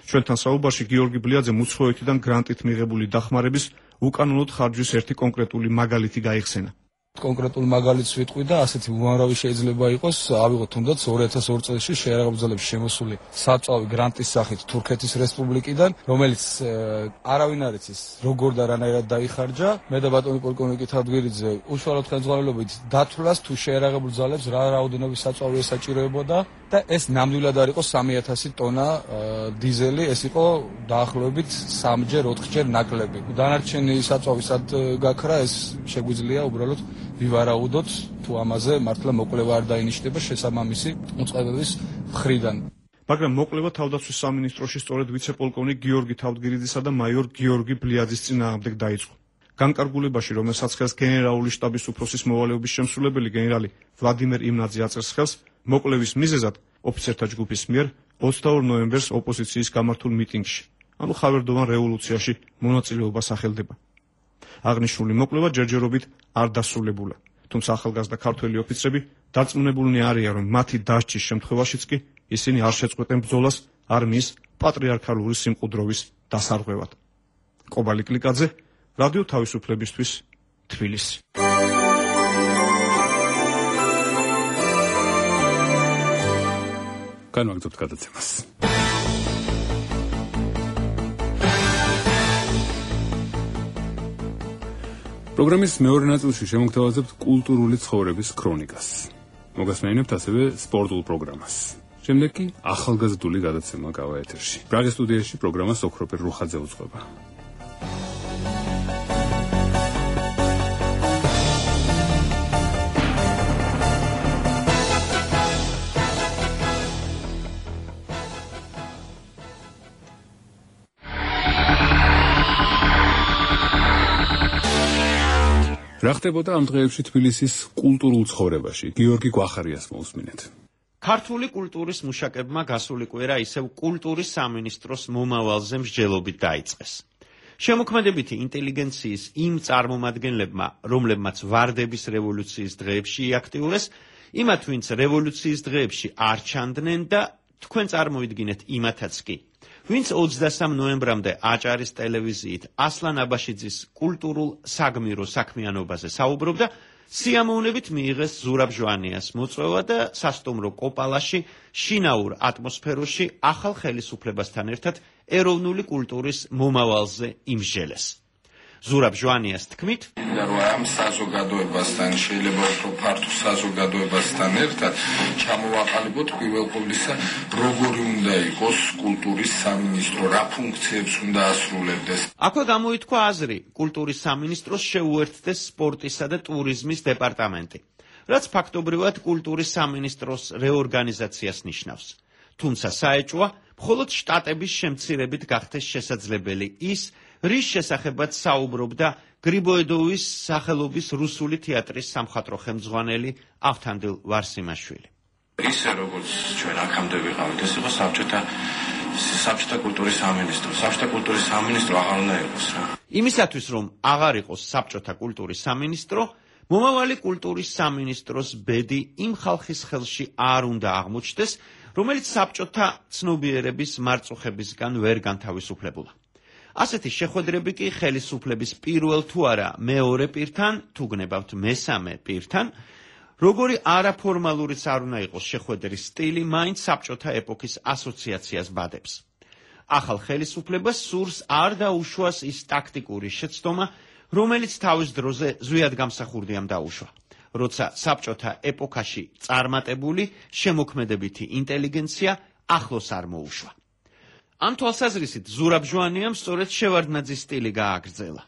ჩვენთან საუბარში გიორგი ბლიაძემ უცხოეთიდან გრანტით მიღებული დახმარების უკანონოდ ხარჯვის ერთი კონკრეტული მაგალითი გაიხსენა.
კონკრეტულ მაგალითს ვიტყვი და ასეთი უამრავი შეიძლება იყოს. ავიღოთ თუნდაც 2002 წელს შეიარაღებულ ძალებში შემოსული საწვავი გრანტის სახით თურქეთის რესპუბლიკიდან, რომელიც არავინ არ იცის როგორ და რანაირად დაიხარჯა. მე და ბატონი პოლკოვნიკი თავდგირიძე უშუალოდ ხელმძღვანელობით დათვლას თუ შეიარაღებულ ძალებს რა რაოდენობის საწვავი ესაჭიროებოდა და ეს ნამდვილად არ იყო 3000 ტონა დიზელი, ეს იყო დაახლოებით 3-ჯერ 4-ჯერ ნაკლები. დანარჩენი საწვავი სად გაქრა, ეს შეგვიძლია უბრალოდ ვივარაუდოთ თუ ამაზე მართლა მოკვლევა არ დაინიშნება შესაბამისი უწყებების მხრიდან.
მაგრამ მოკვლევა თავდაცვის სამინისტროში სწორედ ვიცე-პოლკოვნიკ გიორგი თავდგირიძისა და მაიორ გიორგი ბლიაძის წინააღმდეგ დაიწყო. განკარგულებაში, რომელსაც ხელს გენერალური შტაბის უფროსის მოვალეობის შემსრულებელი გენერალი ვლადიმერ იმნაძე აწერს ხელს, მოკვლევის მიზეზად ოფიცერთა ჯგუფის მიერ 22 ნოემბერს ოპოზიციის გამართულ მიტინგში, ანუ ხავერდოვან რევოლუციაში მონაწილეობა სახელდება. აღნიშნული მოკვლევა ჯერჯერობით არ დასრულებულა, თუმცა ახალგაზრდა ქართველი ოფიცრები დარწმუნებულნი არიან, რომ მათი დასჯის შემთხვევაშიც კი ისინი არ შეწყვეტენ ბრძოლას არმიის პატრიარქალური სიმყუდროვის დასარღვევად. კობალი კლიკაძე, რადიო თავისუფლებისთვის, თბილისი.
განვაგრძობთ გადაცემას. პროგრამის მეორე ნაწილში შემოგთავაზებთ კულტურული ცხოვრების ქრონიკას. მოგასმენინებთ ასევე სპორტულ პროგრამას. შემდეგ კი ახალგაზრდული გადაცემა გავა ეთერში. პრაღის სტუდიაში პროგრამას ოქროპერ რუხაძე უძღვება. რა ხდებოდა ამ დღეებში თბილისის კულტურულ ცხოვრებაში? გიორგი გვახარიას მოусმინეთ.
ქართული კულტურის მუშაკებმა გასული კვირა ისევ კულტურის სამინისტროს მომავალზე მსჯელობით დაიწყეს. შემოქმედებითი ინტელიგენციის იმ წარმომადგენლებმა, რომლებმაც ვარდების რევოლუციის დღეებში იაქტიურეს, იმათ, ვინც რევოლუციის დღეებში არ ჩანდნენ და თქვენ წარმოვიდგინეთ იმათაც კი, ვინც 23 ნოემბრამდე აჭარის ტელევიზიით ასლან აბაშიძის კულტურულ საგმირო საქმიანობაზე საუბრობდა, სიამოვნებით მიიღეს ზურაბ ჟვანიას მოწვევა და სასტუმრო კოპალაში შინაურ ატმოსფეროში ახალ ხელისუფლებასთან ერთად ეროვნული კულტურის მომავალზე იმსჯელეს. ზურაბ ჟვანიას თქმით,
რომ ამ საზოგადოებასთან შეიძლება უფრო ფართო საზოგადოებასთან ერთად ჩამოვაყალიბოთ პირველ ყოვლისა როგორი უნდა იყოს კულტურის სამინისტრო, რა ფუნქციებს უნდა ასრულებდეს.
აქვე გამოითქვა აზრი, კულტურის სამინისტროს შეუერთდეს სპორტისა და ტურიზმის დეპარტამენტი, რაც ფაქტობრივად კულტურის სამინისტროს რეორგანიზაციას ნიშნავს. თუმცა საეჭვია, მხოლოდ შტატების შემცირებით გახდეს შესაძლებელი ის, რის შესახებაც საუბრობდა გრიბოედოვის სახელობის რუსული თეატრის სამხატვრო ხელმძღვანელი ავთანდილ ვარსიმაშვილი.
ისე როგორც ჩვენ აქამდე ვიყავით, ეს იყო საბჭოთა კულტურის სამინისტრო. საბჭოთა კულტურის სამინისტრო აღარ უნდა იყოს რა.
იმისათვის, რომ აღარ იყოს საბჭოთა კულტურის სამინისტრო, მომავალი კულტურის სამინისტროს ბედი იმ ხალხის ხელში არ უნდა აღმოჩნდეს, რომელიც საბჭოთა ცნობიერების მარწუხებისგან ვერ განთავისუფლებულა. ასეთი შეხვედრები კი ხელისუფლების პირველ თუ არა მეორე პირთან, თუ გნებავთ მესამე პირთან, როგორი არაფორმალურიც არ უნდა იყოს შეხვედრის სტილი, მაინც საბჭოთა ეპოქის ასოციაციას ბადებს. ახალ ხელისუფლებას სურს არ დაუშვას ის ტაქტიკური შეცდომა, რომელიც თავის დროზე ზვიად გამსახურდიამ დაუშვა, როცა საბჭოთა ეპოქაში წარმატებული შემოქმედებითი ინტელიგენცია ახლოს არ მოუშვა. ამ თვალსაზრისით ზურაბ ჟვანიამ სწორედ შევარდნაძის სტილი გააგრძელა.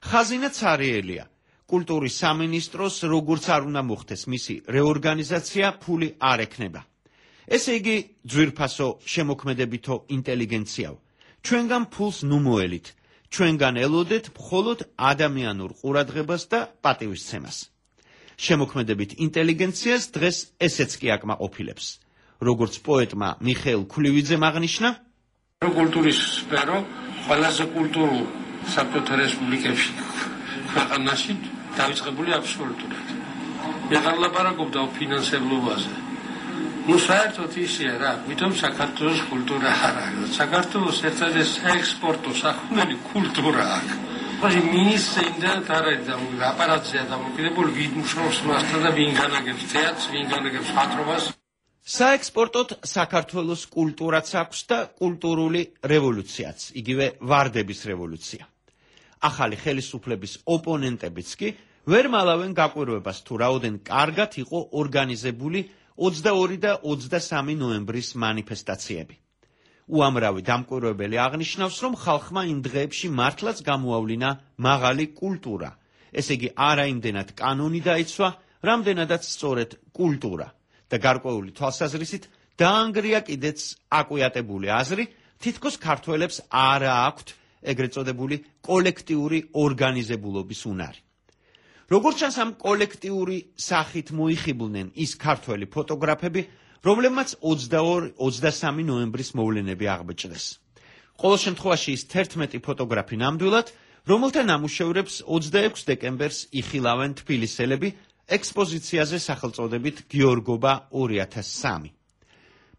ხაზინა ცარიელია, კულტურის სამინისტროს როგორც არ უნდა მოხდეს მისი რეორგანიზაცია, ფული არ ექნება. ესე იგი, ძვირფასო შემოქმედებითო ინტელიგენციაო, ჩვენგან ფულს ნუ მოელით, ჩვენგან ელოდეთ მხოლოდ ადამიანურ ყურადღებას და პატივისცემას. შემოქმედებით ინტელიგენციას დღეს ესეც კი აკმაყოფილებს. როგორც პოეტმა მიხეილ ქვლივიძემ აღნიშნა,
კულტურის სფერო ყველაზე კულტურულ საბჭოთა რესპუბლიკებში ქვეყანაში დაიწყებული აბსოლუტურად. მე ლაპარაკობდა ფინანსებლობაზე. ну საერთოდ ისეა რა, ვითომ საქართველოს კულტურა არ არის. საქართველოს ერთადერთი საექსპორტო სახუმელი კულტურა აქვს. მაგრამ მინისტრია და აპარატზეა დამოკიდებული ვინ მუშაობს მასთან და ვინ განაგებს თეატრს, ვინ განაგებს ხატრობას.
საექსპორტოდ საქართველოს კულტურაც აქვს და კულტურული რევოლუციაც, იგივე ვარდების რევოლუცია. ახალი ხელისუფლების ოპონენტებიც კი ვერ მალავენ გაკვირვებას თუ რაოდენ კარგად იყო ორგანიზებული 22 და 23 ნოემბრის მანიფესტაციები. უამრავი დამკვირვებელი აღნიშნავს, რომ ხალხმა იმ დღეებში მართლაც გამოავლინა მაღალი კულტურა, ესე იგი არა იმდენად კანონი დაიცვა, რამდენადაც სწორედ კულტურა. და გარკვეული თვალსაზრისით დაანგრია კიდეც აკვიატებული აზრი, თითქოს ქართველებს არა აქვთ ეგრეთ წოდებული კოლექტიური ორგანიზებულობის უნარი. როგორც ჩანს, ამ კოლექტიური სახით მოიხიბლნენ ის ქართველი ფოტოგრაფები, რომლებმაც 22-23 ნოემბრის მოვლენები აღბეჭდეს. ყოველ შემთხვევაში ის 11 ფოტოგრაფი ნამდვილად, რომელთა ნამუშევრებს 26 დეკემბერს იხილავენ თბილისელები ექსპოზიციაზე სახელწოდებით გიორგობა 2003.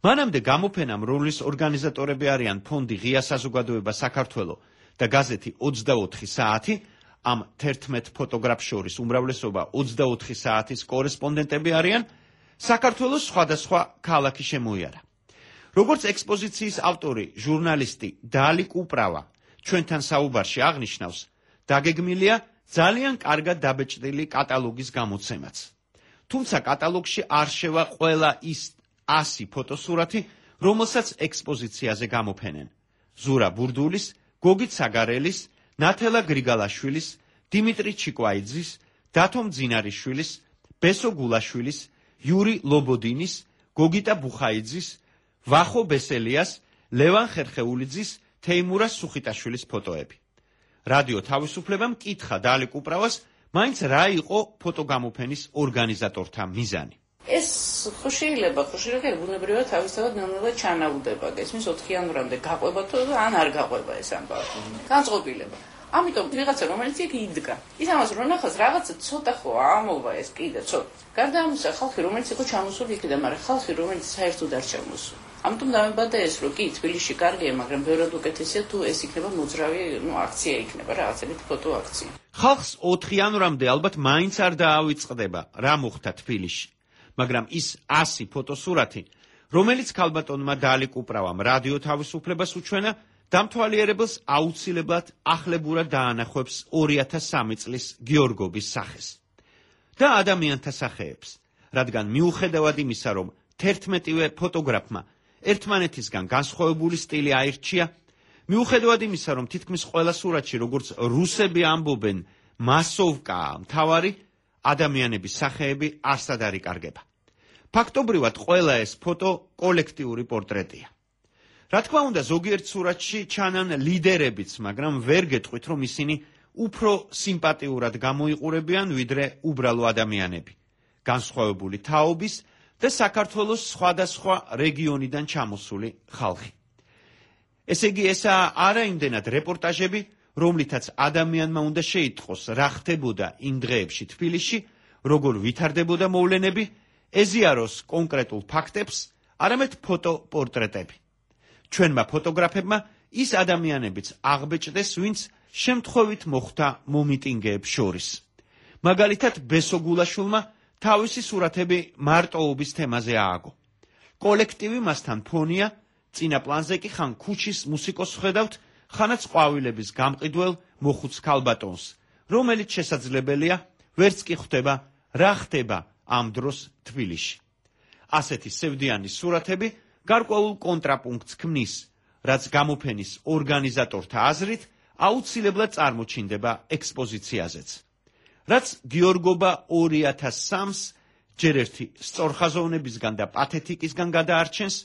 მანამდე გამოფენამ, რომლის ორგანიზატორები არიან ფონდი ღია საზოგადოება საქართველო და გაზეთი 24 საათი, ამ 11 ფოტოგრაფს შორის უმრავლესობა 24 საათის კორესპონდენტები არიან, საქართველოს სხვადასხვა ქალაქი შემოიარა. როგორც ექსპოზიციის ავტორი, ჟურნალისტი დალიკ უპრავა ჩვენთან საუბარში აღნიშნავს, დაგეგმილია ძალიან კარგად დაბეჭდილი კატალოგის გამოცემაც. თუმცა კატალოგში არ შევა ყველა ის 100 ფოტოსურათი, რომელსაც ექსპოზიციაზე გამოფენენ. ზურა ბურდულის, გოგით საგარელის, ნათელა გრიგალაშვილის, დიმიტრი ჩიკვაიძის, დათო მძინარიშვილის, ბესო გულაშვილის, იური ლობოდინის, გოგიტა ბუხაიძის, ვახო ბესელიას, ლევან ხერხეულიძის, თეიმურა სუხიტაშვილის ფოტოები. რადიო თავისუფლებამ კითხა დალიკ უპრავას, მაინც რა იყო ფოტოგამოფენის ორგანიზატორთა მიზანი.
ეს შეიძლება ბუნებრივად თავისთავად ნელ-ნელა ჩანაუდება, გესმის 4 იანვრამდე გაყვება თუ ან არ გაყვება ეს ამბავი. განწყობილება. ამიტომ ვიღაცა რომელიც იქ იდგა, ის ამას რო ნახავს, რაღაცა ცოტა ხო ამოვა ეს კიდე ცოტა. გარდა ამისა, ხალხი რომელიც იყო ჩამოსული იქიდან, მაგრამ ხალხი რომელიც საერთოდ არ ჩამოსული. ამიტომ დამებადა ეს, რომ კი თბილისში კარგია, მაგრამ ბევრად უკეთესია თუ ეს იქნება მოძრავი, აქცია იქნება, რაღაცებით ფოტო აქცია.
ხალხს 4 იანვრამდე ალბათ მაინც არ დაავიწყდება, რა მოხდა თბილისში. მაგრამ ის 100 ფოტოსურათი, რომელიც ქალბატონმა დალიკ უპრავამ რადიო თავისუფლებას უჩვენა, დამთვალიერებელს აუცილებლად ახლებურად დაანახებს 2003 წლის გიორგობის სახეს და ადამიანთა სახეებს, რადგან მიუხედავად იმისა, რომ 11-ვე ფოტოგრაფმა ერთმანეთისგან განსხვავებული სტილი აირჩია, მიუხედავად იმისა, რომ თითქმის ყველა სურათში, როგორც რუსები ამბობენ, მასოვკაა მთავარი, ადამიანების სახეები არსად არ იკარგება. ფაქტობრივად ყველა ეს ფოტო კოლექტიური პორტრეტია. რა თქმა უნდა, ზოგიერთ სურათში ჩანან ლიდერებიც, მაგრამ ვერ გეტყვით, რომ ისინი უფრო სიმპათიურად გამოიყურებიან, ვიდრე უბრალო ადამიანები, განსხვავებული თაობის და საქართველოს სხვადასხვა რეგიონიდან ჩამოსული ხალხი. ესე იგი, ესაა არა იმდენად რეპორტაჟები, რომლითაც ადამიანმა უნდა შეიტყოს, რა ხდებოდა იმ დღეებში თბილისში, როგორ ვითარდებოდა მოვლენები, ეზიაროს კონკრეტულ ფაქტებს, არამედ ფოტოპორტრეტები. ჩვენმა ფოტოგრაფებმა ის ადამიანებიც აღბეჭდეს, ვინც შემთხვევით მოხვდა მომიტინგეებს შორის. მაგალითად, ბესო გულაშვილმა თავისი სურათები მარტოობის თემაზე ააგო. კოლექტივი მასთან ფონია, წინა პლანზე კი ხან ქუჩის მუსიკოს ხედავთ, ხანაც ყვავილების გამყიდველ მოხუც ქალბატონს, რომელიც შესაძლებელია ვერც კი ხვდება რა ხდება ამ დროს თბილისში. ასეთი სევდიანი სურათები გარკვეულ კონტრაპუნქტს ქმნის, რაც გამოფენის ორგანიზატორთა აზრით აუცილებლად წარმოჩინდება ექსპოზიციაზეც. რაც გიორგობა 2003-ს ჯერ ერთი სწორხაზოვნებისგან და პათეტიკისგან გადაარჩენს,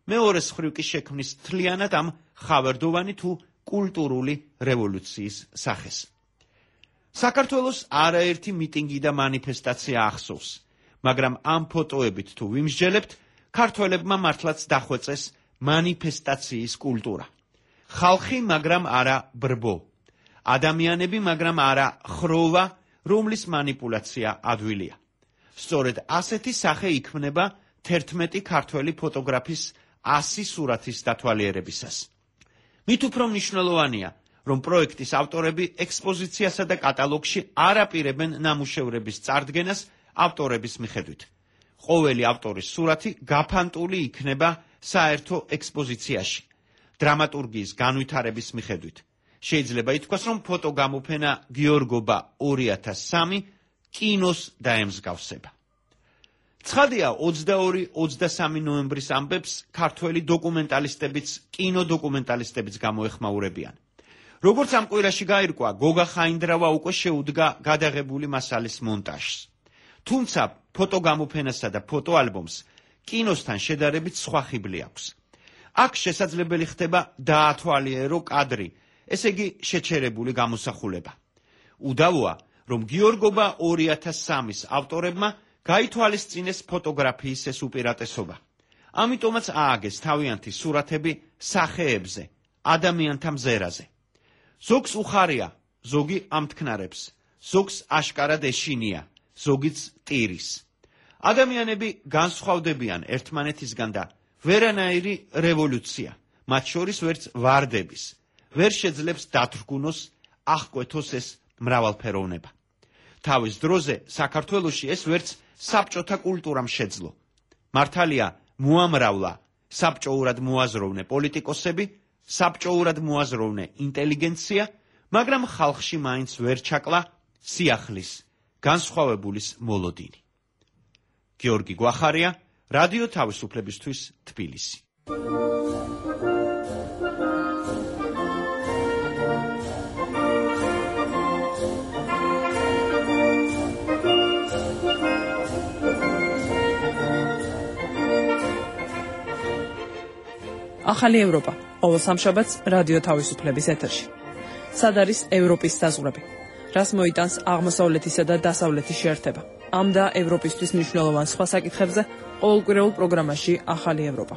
მეორეს მხრივ კი შექმნის თლიანად ამ ხავერდოვანი თუ კულტურული რევოლუციის სახეს. საქართველოს არაერთი მიტინგი და მანიფესტაცია ახსოვს, მაგრამ ამ ფოტოებით თუ ვიმსჯელებთ, ქართველებმა მართლაც დახვეწეს მანიფესტაციის კულტურა. ხალხი, მაგრამ არა ბრბო. ადამიანები, მაგრამ არა ხროვა, რომლის მანიპულაცია ადვილია. სწორედ ასეთი სახე იქმნება 11 ქართველი ფოტოგრაფის 100 სურათის დათვალიერებისას. მით უფრო მნიშვნელოვანია, რომ პროექტის ავტორები ექსპოზიციასა და კატალოგში არ აპირებენ ნამუშევრების წარდგენას ავტორების მიხედვით. ყოველი ავტორის სურათი გაფანტული იქნება საერთო ექსპოზიციაში, დრამატურგიის განვითარების მიხედვით. შეიძლება ითქვას, რომ ფოტოგამოფენა გიორგობა 2003 კინოს დაემსგავსება. ცხადია, 22-23 ნოემბრის ამბებს ქართველი დოკუმენტალისტებიც, კინოდოკუმენტალისტებიც გამოეხმაურებიან. როგორც ამ კვირაში გაირკვა, გოგა ხაინდრავა უკვე შეუდგა გადაღებული მასალის მონტაჟს. თუმცა ფოტოგამოფენასა და ფოტოალბომს კინოსთან შედარებით სხვა ხიბლი აქვს. აქ შესაძლებელი ხდება დაათვალიერო კადრი, ესე იგი შეჩერებული გამოსახულება. უდავოა, რომ გიორგობა 2003-ის ავტორებმა გაითვალისწინეს ფოტოგრაფიის ეს უპირატესობა. ამიტომაც ააგეს თავიანთი სურათები სახეებზე, ადამიანთა მზერაზე. ზოგს უხარია, ზოგი ამთქნარებს, ზოგს აშკარად ეშინია, ზოგიც ტირის. ადამიანები განსხვავდებიან ერთმანეთისგან და ვერანაირი რევოლუცია, მათ შორის ვერც ვარდების, ვერ შეძლებს დათრგუნოს, აღკვეთოს ეს მრავალფეროვნება. თავის დროზე საქართველოში ეს ვერც საბჭოთა კულტურამ შეძლო. მართალია, მოამრავლა საბჭოურად მოაზროვნე პოლიტიკოსები, საბჭოურად მოაზროვნე ინტელიგენცია, მაგრამ ხალხში მაინც ვერ ჩაკლა სიახლის, განსხვავებულის მოლოდინი. გიორგი გვახარია, რადიო თავისუფლებისთვის, თბილისი.
ახალი ევროპა, ყოველ სამშაბათს რადიო თავისუფლების ეთერში. სად არის ევროპის საზღვრები? რას მოიტანს აღმოსავლეთისა და დასავლეთის შეერთება? ამ და ევროპისთვის მნიშვნელოვან სხვა საკითხებზე ყოველკვირეულ პროგრამაში ახალი ევროპა.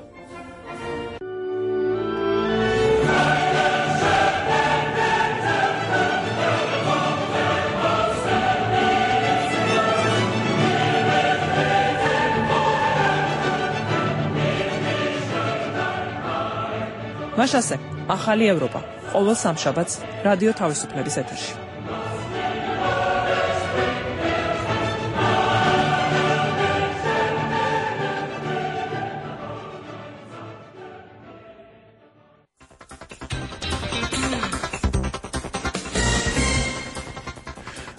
მაშასე, ახალი ევროპა, ყოველ სამშაბათს რადიო თავისუფლების ეთერში.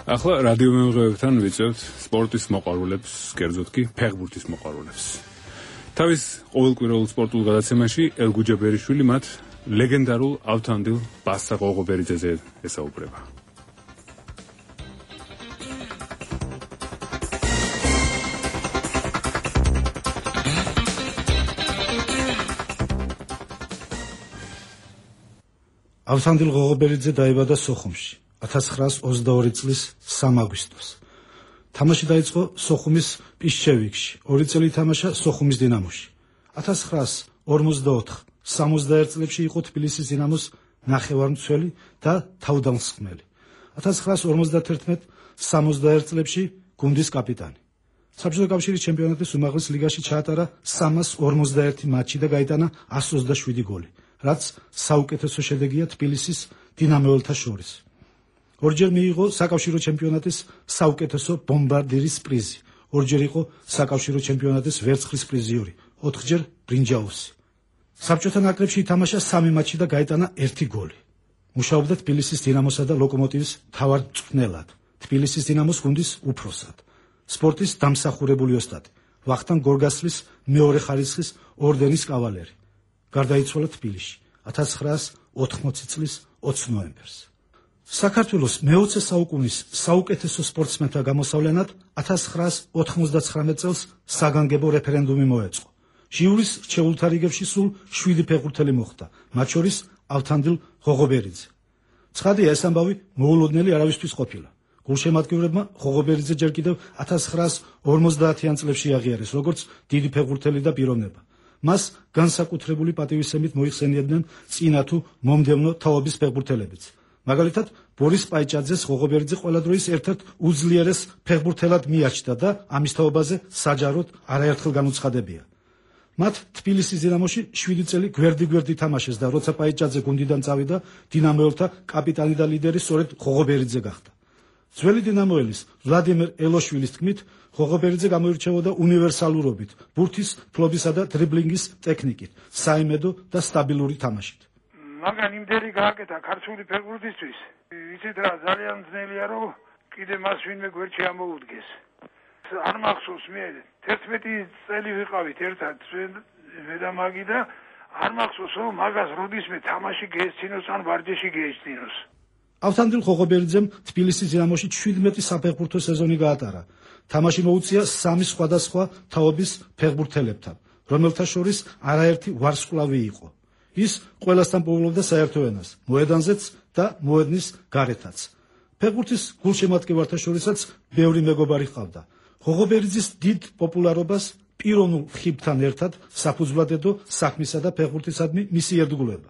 ახლა რადიო მეუღლეებთან ვიწევთ სპორტის მოყვარულებს, კერძოდ კი ფეხბურთის მოყვარულებს. თავის ყოველკვირეულ სპორტულ გადაცემაში ელგუჯა ბერიშვილი მათ ლეგენდარულ ავთანდილ ბასა ღოღობერიძეზე ესაუბრება.
ავთანდილ ღოღობერიძე დაიბადა სოხუმში 1922 წლის 3 აგვისტოს. თამაში დაიწყო სოხუმის პიშჩევიკში, 2 წელი ითამაშა სოხუმის დინამოში. 1944-61 წლებში იყო თბილისის დინამოს ნახევარმცველი და თავდამსხმელი. 1951-61 წლებში გუნდის კაპიტანი. საბჭოთა კავშირის ჩემპიონატის უმაღლეს ლიგაში ჩაატარა 341 მატჩი და გაიტანა 127 გოლი, რაც საუკეთესო შედეგია თბილისის დინამოელთა შორის. ორჯერ მიიღო საკავშირო ჩემპიონატის საუკეთესო ბომბარდირის პრიზი, ორჯერ იყო საკავშირო ჩემპიონატის ვერცხლის პრიზიორი, 4ჯერ ბრინჯაოსი. საბჭოთა ნაკრებში ითამაშა 3 მატჩი და გაიტანა 1 გოლი. მუშაობდა თბილისის დინამოსა და ლოკომოტივის მთავარ მწვრთნელად, თბილისის დინამოს გუნდის უფროსად, სპორტის დამსახურებული ოსტატი, ვახტანგ გორგასლის მეორე ხარისხის ორდენის კავალერი. გარდაიცვალა თბილისში 1980 წლის 20 ნოემბერს. საქართველოს მე-20 საუკუნის საუკეთესო სპორტსმენთა გამოსავლენად 1999 წელს საგანგებო რეფერენდუმი მოეწყო. ჟიურის რჩეულთა რიგებში სულ 7 ფეხბურთელი მოხვდა, მათ შორის ავთანდილ ღოღობერიძე. ცხადია, ეს ამბავი მოულოდნელი არავისთვის ყოფილა. გულშემატკივრებმა ღოღობერიძე ჯერ კიდევ 1950-იან წლებში აღიარეს, როგორც დიდი ფეხბურთელი და პიროვნება. მას განსაკუთრებული პატივისცემით მოიხსენიებდნენ წინა თუ მომდევნო თაობის ფეხბურთელებიც. მაგალითად, ბორის პაიჭაძეს ღოღობერიძე ყველა დროის ერთ-ერთ უძლიერეს ფეხბურთელად მიაჩნდა და ამის თაობაზე საჯაროდ არაერთხელ განუცხადებია. მათ თბილისის დინამოში 7 წელი გვერდი-გვერდი თამაშეს და როცა პაიჭაძე გუნდიდან წავიდა, დინამოელთა კაპიტანი და ლიდერი სწორედ ღოღობერიძე გახდა. ძველი დინამოელის ვლადიმერ ელოშვილის თქმით, ღოღობერიძე გამოირჩეოდა უნივერსალურობით, ბურთის ფლობისა და დრიბლინგის ტექნიკით, საიმედო და სტაბილური თამაშით.
მაგან იმდენი გააკეთა ქართული ფეხბურთისთვის. იცით რა, ძალიან ძნელია რომ კიდე მას ვინმე გვერდში ამოუდგეს. არ მახსოვს მე 11 წელი ვიყავით ერთად მე და მაგი და არ მახსოვს რომ მაგას როდისმე თამაში გეესწინოს ან ვარჯიში გეესწინოს.
ავთანდილ ღოღობერიძემ თბილისის დინამოში 17 საფეხბურთო სეზონი გაატარა. თამაში მოუწია 3 სხვადასხვა თაობის ფეხბურთელებთან, რომელთა შორის არაერთი ვარსკვლავი იყო. ის ყველასთან პოულობდა საერთო ენას, მოედანზეც და მოედნის გარეთაც. ფეხბურთის გულშემატკივართა შორისაც ბევრი მეგობარი ჰყავდა. ღოღობერიძის დიდ პოპულარობას პიროვნულ ხიბთან ერთად საფუძვლად ედო საქმისა და ფეხბურთისადმი მისი ერთგულება.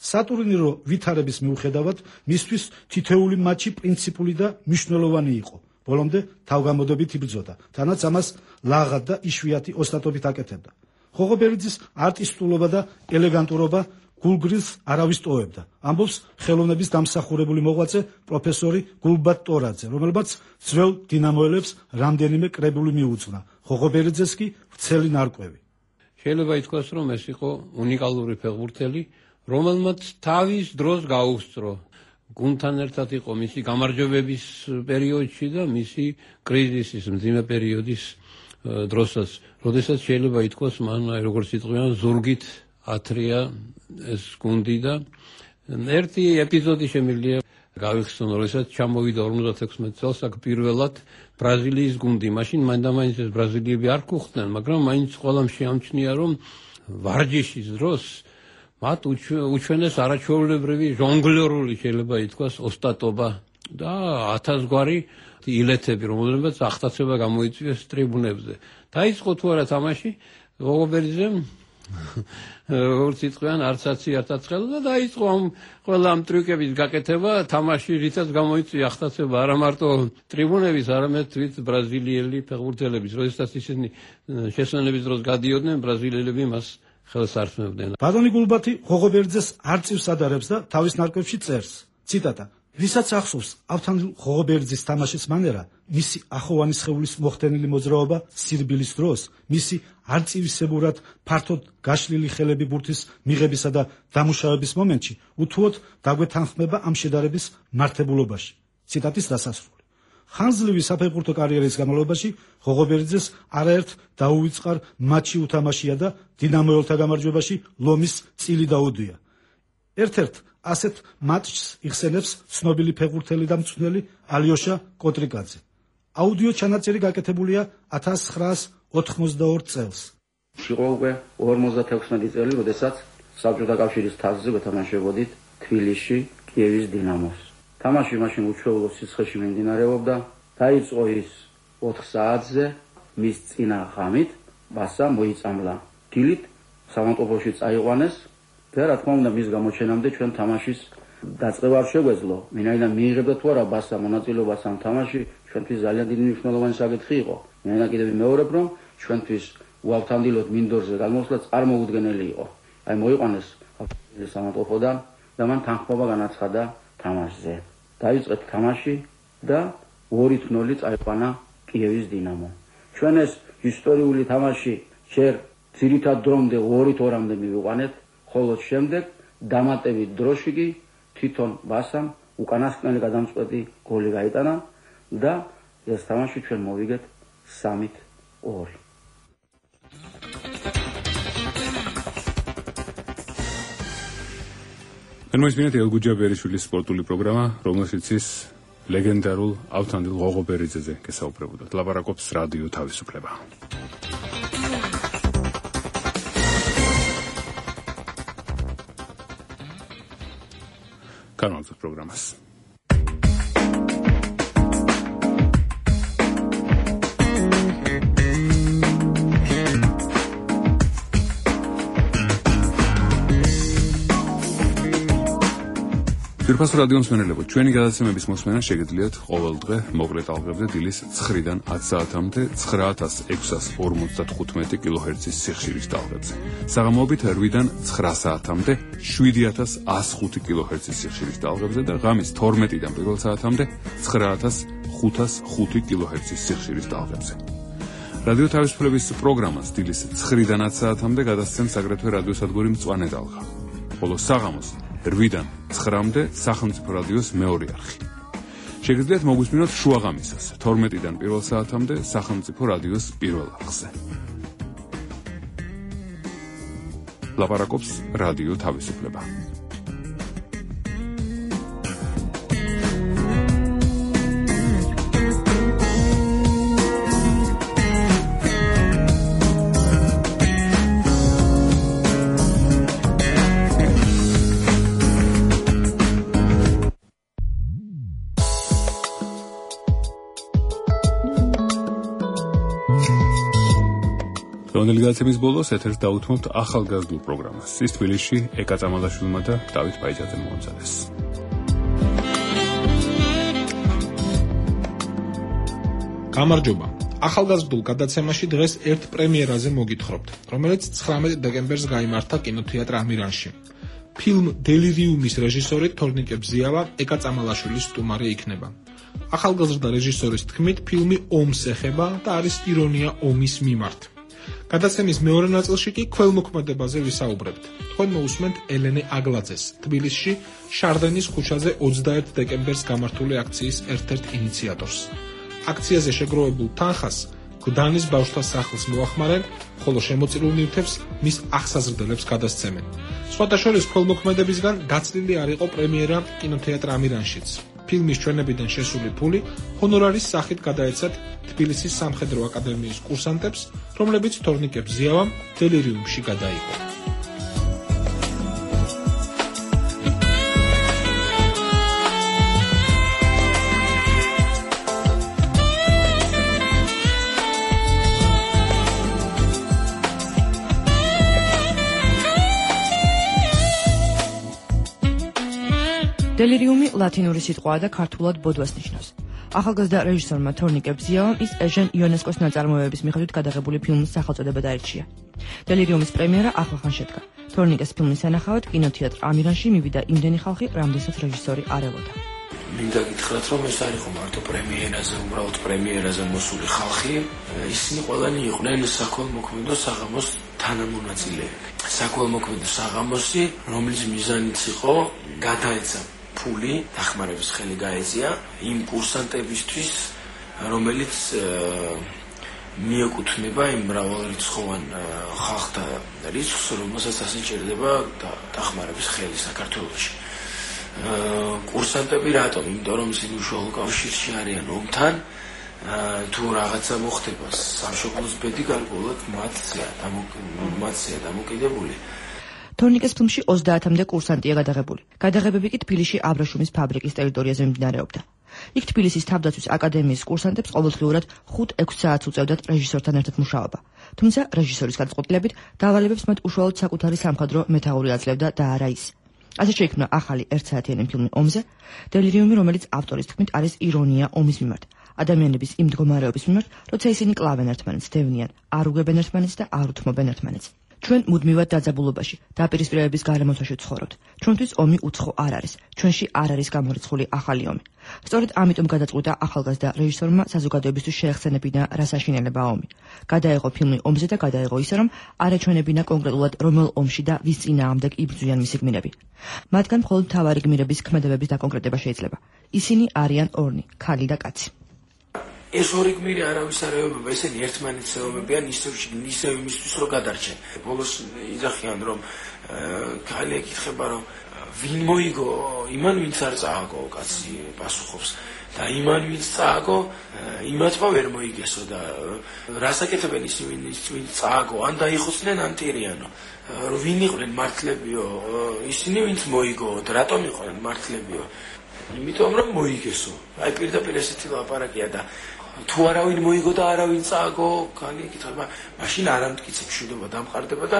სატურნირო ვითარების მიუხედავად, მისთვის თითეული მატჩი პრინციპული და მნიშვნელოვანი იყო. ბოლომდე თავგამოდებით იბრძოდა, თანაც ამას ლაღად და იშვიათი ოსტატობით აკეთებდა. ღოღობერიძის არტისტულობა და ელეგანტურობა გულგრილს არავის ტოვებდა. ამბობს ხელოვნების დამსახურებული მოღვაწე პროფესორი გულბატ ტორაძე, რომელმაც ძველ დინამოელებს რამდენიმე კრებული მიუძღვნა. ღოღობერიძეს კი ვრცელი ნარკვევი.
შეიძლება ითქვას, რომ ეს იყო უნიკალური ფეხბურთელი, რომელმაც თავის დროს გაუსწრო. გუნდთან ერთად იყო მისი გამარჯვებების პერიოდში და მისი კრიზისის მძიმე პერიოდის დროსაც, როდესაც შეიძლება ითქვას, მან როგორც იტყვიან, ზურგით ათრია ეს გუნდი და ერთი ეპიზოდი შემიძლია გავიხსნო, როდესაც ჩამოვიდა 56 წელს აქ პირველად ბრაზილიის გუნდი. მაშინ მაინც ეს ბრაზილიები არ გუხდნენ, მაგრამ მაინც ყველამ შეამჩნია, რომ ვარჯიშის დროს მათ უჩვენეს არაჩვეულებრივი ჟონგლერული, შეიძლება ითქვას, ოსტატობა და 1000 გვარი ილეთები, რომელებაც ახტაცება გამოიწვიეს ტრიბუნებზე. დაიწყო თუ არა თამაში, ღოღობერიძემ როგორც იტყვიან, არცაცი არტაცხელა და დაიწყო ამ ყველა ამ ტრიუკების გაკეთება, თამაში რითაც გამოიწვია ახტაცება არა მარტო ტრიბუნების, არამედ თვით ბრაზილიელი ფეხბურთელების. როდესაც ისინი შესვენების დროს გადიოდნენ, ბრაზილიელები მას ხელს არსმევდნენ.
ბატონი გულბათი ღოღობერიძეს არ წივს ადარებს და თავის ნარკვევში წერს. ციტატა: ვისაც ახსოვს ავთანდილ ღოღობერიძის თამაშის მანერა, მისი ახოვანი სხეულის მოხდენილი მოძრაობა სირბილის დროს, მისი არწივისებურად ფართოდ გაშლილი ხელები ბურთის მიღებისა და დამუშავების მომენტში, უთუოდ დაგვეთანხმება ამ შედარების მართებულობაში. ციტატის დასასრული. ხანძლივი საფეხბურთო კარიერის განმავლობაში ღოღობერიძეს არაერთ დაუვიწყარ მატჩი უთამაშია და დინამოელთა გამარჯვებაში ლომის წილი დაუდია. ერთ-ერთ ასეთ მატჩს იხსენებს ცნობილი ფეხბურთელი და მწვრთნელი ალიოშა კოტრიკაძე. აუდიო ჩანაწერი გაკეთებულია 1982 წელს.
იყო უკვე 56 წელი, როდესაც საბჭოთა კავშირის თასზე ვეთამაშებოდით თბილისში კიევის დინამოს. თამაში მაშინ უჩვეულო სიცხეში მიმდინარეობდა. დაიწყო ის 4 საათზე, მის წინა ღამით ბასა მოიწამლა. დილით სამონტოფოში წაიყვანეს და რა თქმა უნდა მის გამოჩენამდე ჩვენ თამაშის დაწყება არ შეგვეძლო. ვინაიდან მიიღებდა თუ არა ბასა მონაწილეობას ამ თამაში, ჩვენთვის ძალიან დიდი მნიშვნელოვანი საკითხი იყო. მე კიდევ მეორებ რომ ჩვენთვის უავთანდილოდ მინდორზე გადმოსვლა წარმოუდგენელი იყო. აი მოიყვანეს სამართლოდან და მან თანხმობა განაცხადა თამაშზე. დაიწყეთ თამაში და 2-0 წაიყვანა კიევის დინამო. ჩვენ ეს ისტორიული თამაში ჯერ ძირითად დრომდე 2-2-მდე მივიყვანეთ, ხოლო შემდეგ დამატებით დროში კი თვითონ ბასამ უკანასკნელი გადამწყვეტი გოლი გაიტანა და ეს თამაში ჩვენ მოვიგეთ 3-2.
მოისმინეთ ელგუჯა ბერიშვილის სპორტული პროგრამა, რომელშიც ის ლეგენდარულ ავთანდილ ღოღობერიძეზე გესაუბრებოდათ. ლაპარაკობს რადიო თავისუფლება. განვაგრძობთ პროგრამას. ძვირფასო რადიო მსმენელებო, ჩვენი გადაცემების მოსმენა შეგიძლიათ ყოველდღე მოკლე ტალღებზე დილის 9-დან 10 საათამდე 9655 კილოჰერცის სიხშირის ტალღებზე. საღამოობით 8-დან 9 საათამდე 7105 კილოჰერცის სიხშირის ტალღებზე და ღამის 12-დან 1 საათამდე 9505 კილოჰერცის სიხშირის ტალღებზე. რადიო თავისუფლების პროგრამას დილის 9-დან 10 საათამდე გადასცემს აგრეთვე რადიოსადგური მწვანე ტალღა. ხოლო საღამოს 8-დან 9-მდე სახელმწიფო რადიოს მეორე არხი. შეგიძლიათ მოგვისმინოთ შუაღამისას 12-დან 1 საათამდე სახელმწიფო რადიოს პირველ არხზე. ლაპარაკობს რადიო თავისუფლება. გადაცემის ბოლოს ეთერს დაუთმობთ ახალგაზრდულ პროგრამას. ის თბილისში ეკა წამალაშვილმა და დავით ბაიჯაძემ მოამზადეს.
გამარჯობა. ახალგაზრდულ გადაცემაში დღეს ერთ პრემიერაზე მოგითხრობთ, რომელიც 19 დეკემბერს გაიმართა კინოთეატრ ამირანში. ფილმ დელირიუმის რეჟისორი თორნიკე ბზიავა ეკა წამალაშვილის სტუმარი იქნება. ახალგაზრდა რეჟისორის თქმით, ფილმი ომს ეხება და არის ირონია ომის მიმართ. გადაცემის მეორე ნაწილში კი ქველმოქმედებაზე ვისაუბრებთ. თქვენ მოусმენთ ელენე აგლაძეს, თბილისში შარდენის ქუჩაზე 21 დეკემბერს გამართული აქციის ერთ-ერთ ინიციატორს. აქციაზე შეგროვებულ თანხას გდანის ბავშვთა სახლს მოახმარენ, ხოლო შემოწირულ ნივთებს მის აღსაზრდელებს გადასცემენ. სხვათა შორის ქველმოქმედებისგან გაცლილი არ იყო პრემიერა კინოთეატრ ამირანშიც. ფილმის ჩვენებიდან შესული ფული ჰონორარის სახით გადაეცათ თბილისის სამხედრო აკადემიის კურსანტებს, რომლებიც თორნიკე ბზიავამ დელირიუმში გადაიღო.
დელირიუმი ლათინური სიტყვაა და ქართულად ბოდვას ნიშნავს. ახალგაზრდა რეჟისორმა თორნიკე ბზიავამ ის ეჟენ იონესკოს ნაწარმოებების მიხედვით გადაღებული ფილმის სახელწოდება დაერჩია. დელირიუმის პრემიერა ახლახან შედგა. თორნიკეს ფილმის სანახავად კინოთეატრ ამირანში მივიდა იმდენი ხალხი, რამდენსაც რეჟისორი არ ელოდა.
მინდა გითხრათ, რომ ეს არ იყო მარტო პრემიერაზე, უბრალოდ პრემიერაზე მოსული ხალხი, ისინი ყველანი იყვნენ საქველმოქმედო საღამოს თანამონაწილეები. საქველმოქმედო საღამოსი, რომლის მიზანიც იყო გადაეცა ფული დახმარების ხელი გაეწია იმ კურსანტებისთვის, რომელიც მიეკუთვნება იმ მრავალრიცხოვან ხალხთა რიცხვს, რომელსაც ასე ჭირდება დახმარების ხელი საქართველოში. კურსანტები რატომ? იმიტომ რომ ისინი უშუალო კავშირში არიან ომთან, თუ რაღაცა მოხდება სამშობლოს ბედი გარკვეულად მათზეა დამოკიდებული.
თორნიკეს ფილმში 30-მდე კურსანტია გადაღებული. გადაღებები კი თბილისში აბრეშუმის ფაბრიკის ტერიტორიაზე მიმდინარეობდა. იქ თბილისის თავდაცვის აკადემიის კურსანტებს ყოველდღიურად 5-6 საათს უწევდათ რეჟისორთან ერთად მუშაობა. თუმცა რეჟისორის გადაწყვეტილებით დავალებებს მათ უშუალოდ საკუთარი სამხედრო მეთაური აძლევდა და არა ის. ასე შეიქმნა ახალი 1 საათიანი ფილმი ომზე, დელირიუმი, რომელიც ავტორის თქმით არის ირონია ომის მიმართ. ადამიანების იმ მდგომარეობის მიმართ, როცა ისინი კლავენ ერთმანეთს, დევნიან, არ უგებენ ერთმანეთს და არ უთმობენ ერთმანეთს. ჩვენ მუდმივად დაძაბულობაში, დაპირისპირებების გარემოცვაში ვცხოვრობთ. ჩვენთვის ომი უცხო არ არის. ჩვენში არ არის გამორიცხული ახალი ომი. სწორედ ამიტომ გადაწყვიტა ახალგაზრდა რეჟისორმა საზოგადოებისთვის შეეხსენებინა რა საშინელებაა ომი. გადაეღო ფილმი ომზე და გადაეღო ისე, რომ არ ეჩვენებინა კონკრეტულად რომელ ომში და ვის წინააღმდეგ იბრძვიან მისი გმირები. მათგან მხოლოდ მთავარი გმირების ქმედებების დაკონკრეტება შეიძლება. ისინი არიან ორნი, ქალი და კაცი.
ეს ორი გმირი არავის არ ეომება, ესენი ერთმანეთს ეომებიან ისევ იმისთვის, რომ გადარჩენ. ბოლოს იძახიან, რომ ქალი ეკითხება, რომ ვინ მოიგო, იმან ვინც არ წააგო, კაცი პასუხობს. და იმან ვინც წააგო, იმათმა ვერ მოიგესო და რას აკეთებენ ისინი, ვინც წააგო, ან დაიხოცნენ ან ტირიანო. ვინ იყვნენ მართლებიო, ისინი ვინც მოიგო, რატომ იყვნენ მართლებიო? იმიტომ რომ მოიგესო. აი პირდაპირ ესეთი ლაპარაკია და თუ არავინ მოიგო და არავინ წააგო, ქალი ეკითხება, მაშინ არ ამტკიცებ მშვიდობა დამყარდება და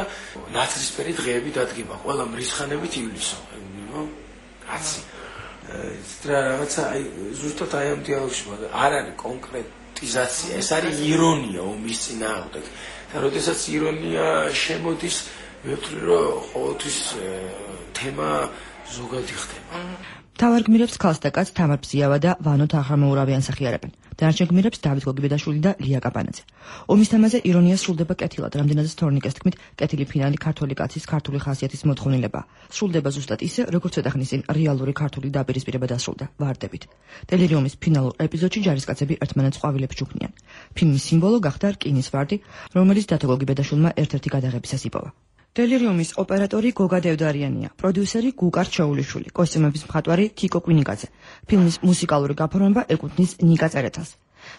ნაცრისფერი დღეები დადგება, ყველა მრისხანებით ივლისო. კაცი. რა რაღაცა აი ზუსტად აი ამ დიალოგში არ არის კონკრეტიზაცია, ეს არის ირონია ომის წინააღმდეგ. და როდესაც ირონია შემოდის, მე ვთვლი რომ ყოველთვის თემა ზოგადი ხდება.
მთავარ გმირებს ქალს და კაცს თამარ ბზიავა და ვანო თაღამოურავი ანსახიარებენ. დანარჩენ გმირებს დავით გოგიბედაშვილი და ლია კაპანაძე. ომის თემაზე ირონია სრულდება კეთილად, რამდენადაც თორნიკეს თქმით, კეთილი ფინალი ქართული კაცის ქართული ხასიათის მოთხოვნილებაა. სრულდება ზუსტად ისე, როგორც ცოტახნის წინ რეალური ქართული დაპირისპირება დასრულდა, ვარდებით. ტელერიუმის ფინალურ ეპიზოდში ჯარისკაცები ერთმანეთს ყვავილებს ჯუქნიან. ფილმის სიმბოლო გახდა რკინის ვარდი, რომელიც დათო გოგიბედაშვილმა ერთ-ერთი გადაღებისას იპოვა. ტელერიუმის ოპერატორი გოგა დევდარიანია, პროდიუსერი გუკარ ჩაულიშვილი, კოსტიუმების მხატვარი თიკო კვინიკაძე. ფილმის მუსიკალური გაფორმება ეკუთვნის ნიკა წერეთელს.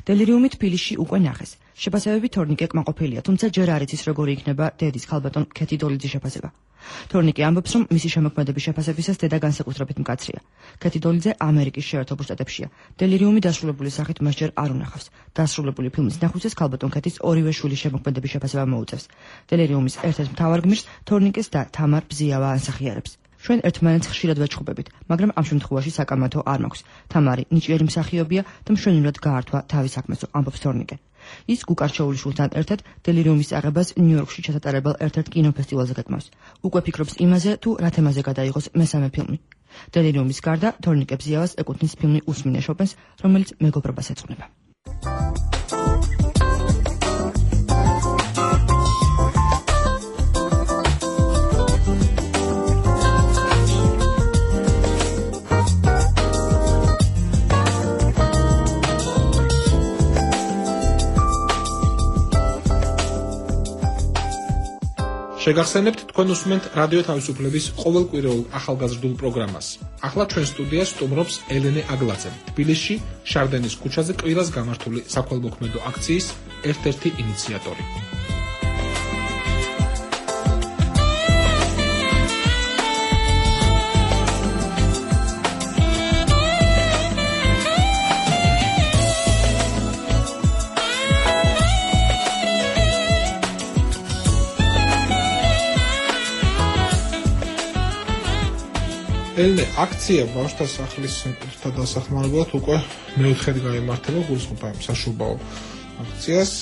ტელერიუმი თბილისში უკვე ნახეს. შეფასებები თორნიკე კმაყოფილია, თუმცა ჯერ არ იცის როგორი იქნება დედის ქალბატონ ქეთი დოლიძის შეფასება. თორნიკე ამბობს, რომ მისი შემოქმედების შეფასებისას დედა განსაკუთრებით მკაცრია. ქეთი დოლიძე ამერიკის შეერთებულ შტატებშია. ტელერიუმი დასრულებული სახით მას ჯერ არ უნახავს. დასრულებული ფილმის ნახვისას ქალბატონ ქეთის ორივე შვილის შემოქმედების შეფასება მოუწევს. ტელერიუმის ერთ-ერთ მთავარ გმირს თორნიკეს და თამარ ბზიავა ანსახიარებს. ჩვენ ერთმანეთს ხშირად ვეჩხუბებით, მაგრამ ამ შემთხვევაში საკამათო არ მაქვს. თამარი ნიჭიერი მსახიობია და მშვენივრად გაართვა თავის საქმესო, ამბობს თორნიკე. ის გუკარ ჩაულიშვილთან ერთად ტელერიუმის აღებას ნიუ-იორკში ჩასატარებელ ერთ-ერთ კინოფესტივალზე გეტმავს. უკვე ფიქრობს იმაზე, თუ რა თემაზე გადაიღოს მესამე ფილმი. ტელერიუმის გარდა თორნიკე ბზიავას ეკუთვნის ფილმი უსმინე შოპენს, რომელიც მეგობრობას ეძღვნება.
შეგახსენებთ თქვენ უსმენთ რადიო თავისუფლების ყოველკვირეულ ახალგაზრდულ პროგრამას. ახლა ჩვენ სტუდიას სტუმრობს ელენე აგლაძე, თბილისში შარდენის ქუჩაზე კვირას გამართული საქველმოქმედო აქციის ერთ-ერთი ინიციატორი. ელენე, აქცია ბავშვთა სახლის საკუთრთა დასახმარებლად უკვე მეოთხედ გაიმართება გულისხმობ საშუბაო აქციას.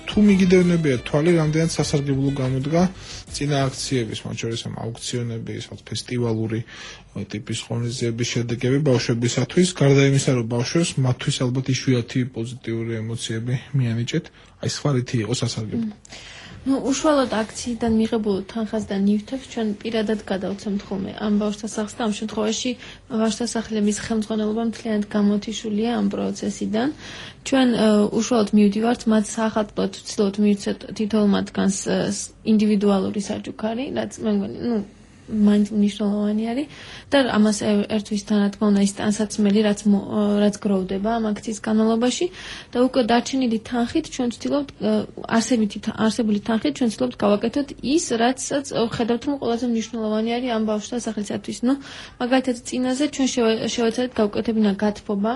თუ მიგიდევნებია თვალი, რამდენად სასარგებლო გამოდგა წინა აქციების, მათ შორის აუქციონები, ფესტივალური ტიპის ღონისძიების შედეგები ბავშვებისათვის, გარდა იმისა, რომ ბავშვებს მათთვის ალბათ იშვიათი პოზიტიური ემოციები მიანიჭეთ, აი სხვა რითი იყო სასარგებლო?
უშუალოდ აქციიდან მიღებულ თანხას და ნივთებს ჩვენ პირადად გადავცემთ ხოლმე ამ ბავშვთა სახლს და ამ შემთხვევაში ბავშვთა სახლების ხელმძღვანელობა მთლიანად გამოთიშულია ამ პროცესიდან. ჩვენ უშუალოდ მივდივართ მათ სახალხოდ ვცდილობთ მივცეთ თითოეულ მათგანს ინდივიდუალური საჩუქარი, რაც მე მგონი მაინც მნიშვნელოვანი არის და ამას ერთვის თანადგონა ის ტანსაცმელი, რაც გროვდება ამ აქციის განმავლობაში და უკვე დარჩენილი თანხით ჩვენ ვცდილობთ არსებული თანხით ჩვენ ვცდილობთ გავაკეთოთ ის, რაცაც ხედავთ, რომ ყველაზე მნიშვნელოვანი არის ამ ბავშვთა სახლისათვის. მაგალითად, წინაზე ჩვენ შევეცადეთ გავუკეთებინა გათბობა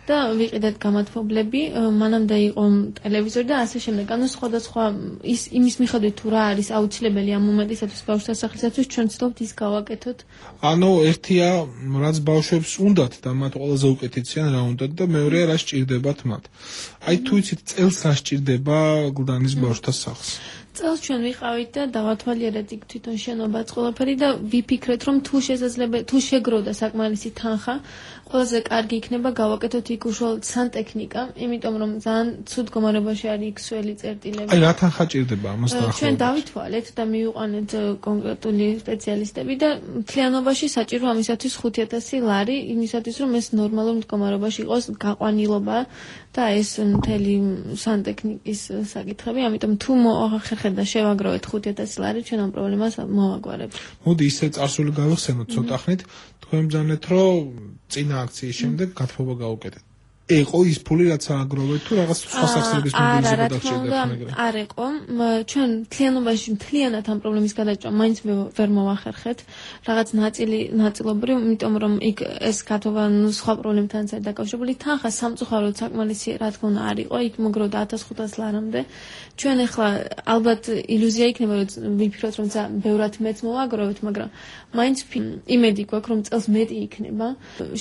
და ვიყიდეთ გამათბობლები, მანამდე იყო ტელევიზორი და ასე შემდეგ. ანუ სხვადასხვა იმის მიხედვით თუ რა არის აუცილებელი ამ მომენტისათვის ბავშვთა სასახლისათვის ჩვენ ვცდილობთ ის გავაკეთოთ.
ანუ ერთია რაც ბავშვებს უნდათ და მათ ყველაზე უკეთესია რა უნდათ და მეორეა რა სჭირდებათ მათ. აი თუ იცით წელს რა სჭირდება გლდანის ბავშვთა სახლს.
წელს ჩვენ ვიყავით და დავათვალიერეთ იქ თვითონ შენობაც ყველაფერი და ვიფიქრეთ რომ თუ შეგროვდა საკმარისი თანხა ყველაზე კარგი იქნება გავაკეთოთ იქ უშუალოდ სანტექნიკა, იმიტომ რომ ძალიან ცუდ მდგომარეობაში არის იქ სველი წერტილები.
აი რა თანხა ჭირდება ამას დაახლოებით?
ჩვენ დავითვალეთ და მივიყვანეთ კონკრეტული სპეციალისტები და მთლიანობაში საჭირო ამისათვის 5,000 ლარი, იმისათვის რომ ეს ნორმალურ მდგომარეობაში იყოს გაყვანილობა და ეს მთელი სანტექნიკის საკითხები, ამიტომ თუ მოახერხეთ და შევაგროვეთ 5,000 ლარი, ჩვენ ამ პრობლემას მოვაგვარებთ.
მოდი ისე წარსული გავიხსენოთ ცოტა ხნით, თქვენ ბრძანეთ რომ წინა აქციის შემდეგ გათბობა გაუკეთეთ. ეყო ის ფული რაც ააგროვეთ თუ რაღაც სხვა სახსრების მობილიზება დაგჭირდება?
არ ეყო. ჩვენ მთლიანობაში მთლიანად ამ პრობლემის გადაჭრა მაინც ვერ მოვახერხეთ. რაღაც ნაწილობრივ, იმიტომ რომ იქ ეს გათბობა სხვა პრობლემთანაც არის დაკავშირებული. თანხა სამწუხაროდ საკმარისი რა თქმა უნდა არ იყო, იქ მოგროვდა 1500 ლარამდე. ჩვენ ახლა ალბათ ილუზია იქნება რომ ვიფიქროთ რომ ბევრად მეც მოვაგროვეთ, მაგრამ მაინც იმედი გვაქვს რომ წელს მეტი იქნება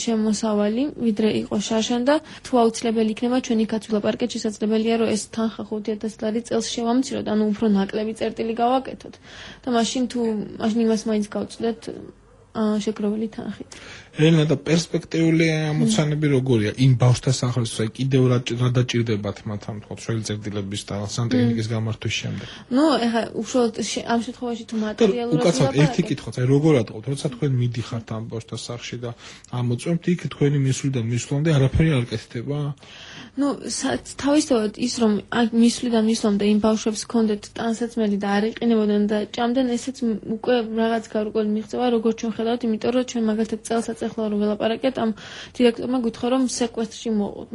შემოსავალი, ვიდრე იყო შაშან და თუ აუცილებელი იქნება ჩვენი კაცვილაპარაკეთ შესაძლებელია რომ ეს თანხა 5,000 ლარი წელს შევამციროთ, ანუ უფრო ნაკლები წერტილი გავაკეთოთ და მაშინ იმას მაინც გავწვდეთ შეგროვილი თანხით.
ელენა და პერსპექტიული ამოცანები როგორია იმ ბავშვთა სახლისთვის? აი კიდევ რა დაჭირდებათ მათ ამ თქო შველი წერტილების და სანტექნიკის გამართვის შემდეგ?
ნუ ეხლა უშუალოდ ამ შემთხვევაში თუ მატერიალურად
უკაცრავ ერთი კითხვაც, აი როგორ ატყობთ, როცა თქვენ მიდიხართ ამ ბავშვთა სახლში და ამოწმებთ იქ თქვენი მისვლიდან მისვლამდე არაფერი არ კეთდება?
ნუ თავისთავად ის რომ მისვლიდან მისვლამდე იმ ბავშვებს ჰქონდეთ ტანსაცმელი და არ იყინებოდნენ და ჭამდნენ, ესეც უკვე რაღაც გარკვეული მიღწევა როგორც ჩვენ ხედავთ, იმიტომ რომ ჩვენ მაგალითად წელსაც ახლა რომ ველაპარაკეთ, ამ დირექტორმა გითხრა რომ სეკვესტრში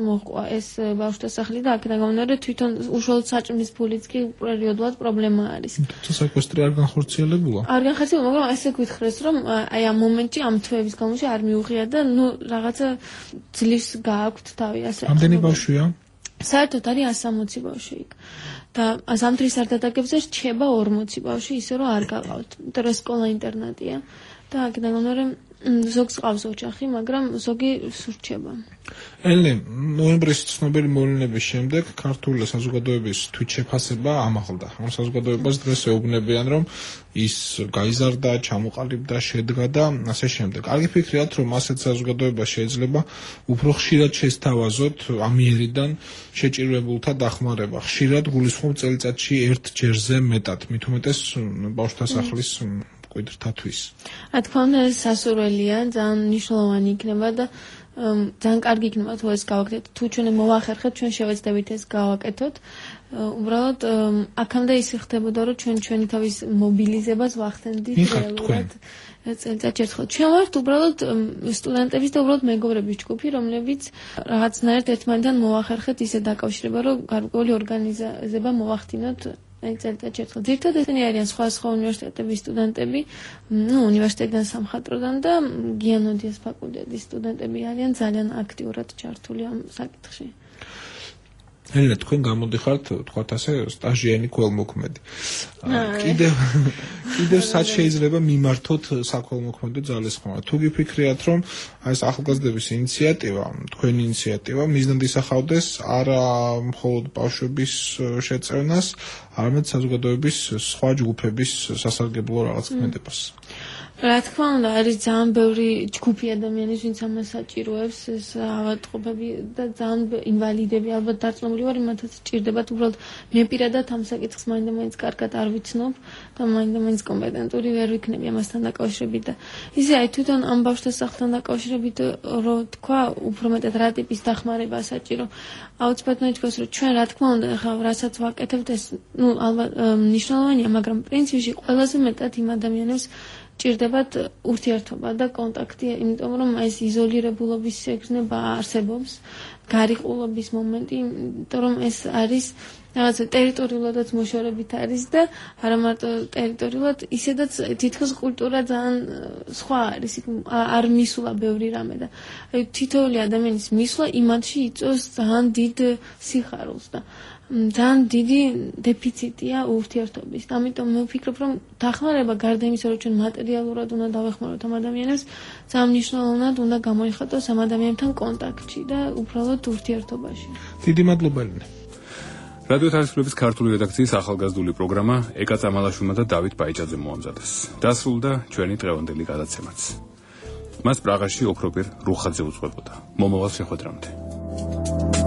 მოყვა ეს ბავშვთა სახლი და აქედან გამომდინარე თვითონ უშუალოდ საჭმლის ფულიც კი პერიოდულად პრობლემა არის.
თუმცა სეკვესტრი არ განხორციელებულა?
არ განხორციელებულა, მაგრამ ესე გითხრეს რომ აი ამ მომენტში ამ თვეების განმავლობაში არ მიუღია და ნუ რაღაცა ძლივს გააქვთ თავი ასე.
ამდენი ბავშვია?
საერთოდ არის 160 ბავშვი იქ. და ზამთრის სარდადაგებზე რჩება 40 ბავშვი, ისე რომ არ გაყავთ. იმიტომ რომ სკოლა ინტერნატია და აქედან გამომდინარე ზოგს ყავს ოჯახი, მაგრამ ზოგი სურჩება.
ელენე, ნოემბრის ცნობილი მოვლენების შემდეგ ქართული საზოგადოების თვითშეფასება ამაღლდა. ამ საზოგადოებას დღეს ეუბნებიან, რომ ის გაიზარდა, ჩამოყალიბდა, შედგა და ასე შემდეგ. კარგი ფიქრიათ, რომ ასეთ საზოგადოებას შეიძლება უფრო ხშირად შესთავაზოთ ამიერიდან შეჭირებულთა დახმარება. ხშირად გულისხმობ წელიწადში ერთ ჯერზე მეტად, მით უმეტეს ბავშვთა სახლის მკვიდრთათვის.
რა თქმა უნდა, ეს სასურველია, ძალიან მნიშვნელოვანი იქნება და ძალიან კარგი იქნება თუ ეს გავაკეთოთ. თუ ჩვენ მოვახერხეთ, ჩვენ შევეცდებით ეს გავაკეთოთ. უბრალოდ აქამდე ის ხდებოდა, რომ ჩვენი თავის მობილიზებას ვახდენდით რეალურად წელიწადში ერთხელ. ჩვენ ვართ უბრალოდ სტუდენტების და უბრალოდ მეგობრების ჯგუფი, რომლებიც რაღაცნაირად ერთმანეთთან მოვახერხეთ ისე დაკავშირება, რომ გარკვეული ორგანიზება მოვახდინოთ წელიწადში ერთხელ. ძირითადად ესენი არიან სხვა უნივერსიტეტების სტუდენტები, უნივერსიტეტიდან სამხატვროდან და გიანოდიას ფაკულტეტის სტუდენტები არიან ძალიან აქტიურად ჩართული ამ საკითხში.
ელენა, თქვენ გამოდიხართ, თქვათ ასე, სტაჟიანი ქველმოქმედი. კიდევ სად შეიძლება მიმართოთ საქველმოქმედო ძალისხმევა? თუ გიფიქრიათ, რომ აი ეს ახალგაზრდების ინიციატივა, თქვენი ინიციატივა მიზნად ისახავდეს არა მხოლოდ ბავშვების შეწევნას, არამედ საზოგადოების სხვა ჯგუფების სასარგებლო რაღაც ქმედებას.
რა თქმა უნდა, არის ძალიან ბევრი ჯგუფი ადამიანის, ვინც ამას საჭიროებს, ეს ავადმყოფები და ძალიან ინვალიდები, ალბათ დარწმუნებული ვარ, იმათაც სჭირდებათ, უბრალოდ მე პირადად ამ საკითხს მაინდა-მაინც კარგად არ ვიცნობ და მაინდა-მაინც კომპეტენტური ვერ ვიქნები ამასთან დაკავშირებით და ისე აი თვითონ ამ ბავშვთა სახლთან დაკავშირებით რო თქვა, უფრო მეტად რა ტიპის დახმარება საჭირო. აუცილებლად ითქვას, რომ ჩვენ რა თქმა უნდა, ახლა რასაც ვაკეთებთ, ეს ალბათ მნიშვნელოვანია, მაგრამ პრინციპში ყველაზე მეტად იმ ადამიანებს ჭირდებათ ურთიერთობა და კონტაქტი, იმიტომ რომ ეს იზოლირებულობის შეგრძნება არსებობს, გარიყულობის მომენტი, იმიტომ რომ ეს არის რაღაცა ტერიტორიულადაც მოშორებით არის და არა მარტო ტერიტორიულად, ისედაც თითქოს კულტურა ძალიან სხვა არის, არ მისულა ბევრი რამე და თითოეული ადამიანის მისვლა იმათში იწვევს ძალიან დიდ სიხარულს და ძალიან დიდი დეფიციტია ურთიერთობის. ამიტომ მე ვფიქრობ, რომ დახმარება გარდა იმისა, რომ ჩვენ მატერიალურად უნდა დავეხმაროთ ამ ადამიანებს, ძალიან მნიშვნელოვნად უნდა გამოიხატოს ამ ადამიანებთან კონტაქტში და უბრალოდ ურთიერთობაში.
დიდი მადლობა ელენე.
რადიო თავისუფლების ქართული რედაქციის ახალგაზრდული პროგრამა ეკა წამალაშვილმა და დავით ბაიჭაძემ მოამზადეს. დასრულდა ჩვენი დღევანდელი გადაცემაც. მას პრაღაში ოქროპირ რუხაძე უძღვებოდა. მომავალ შეხვედრამდე.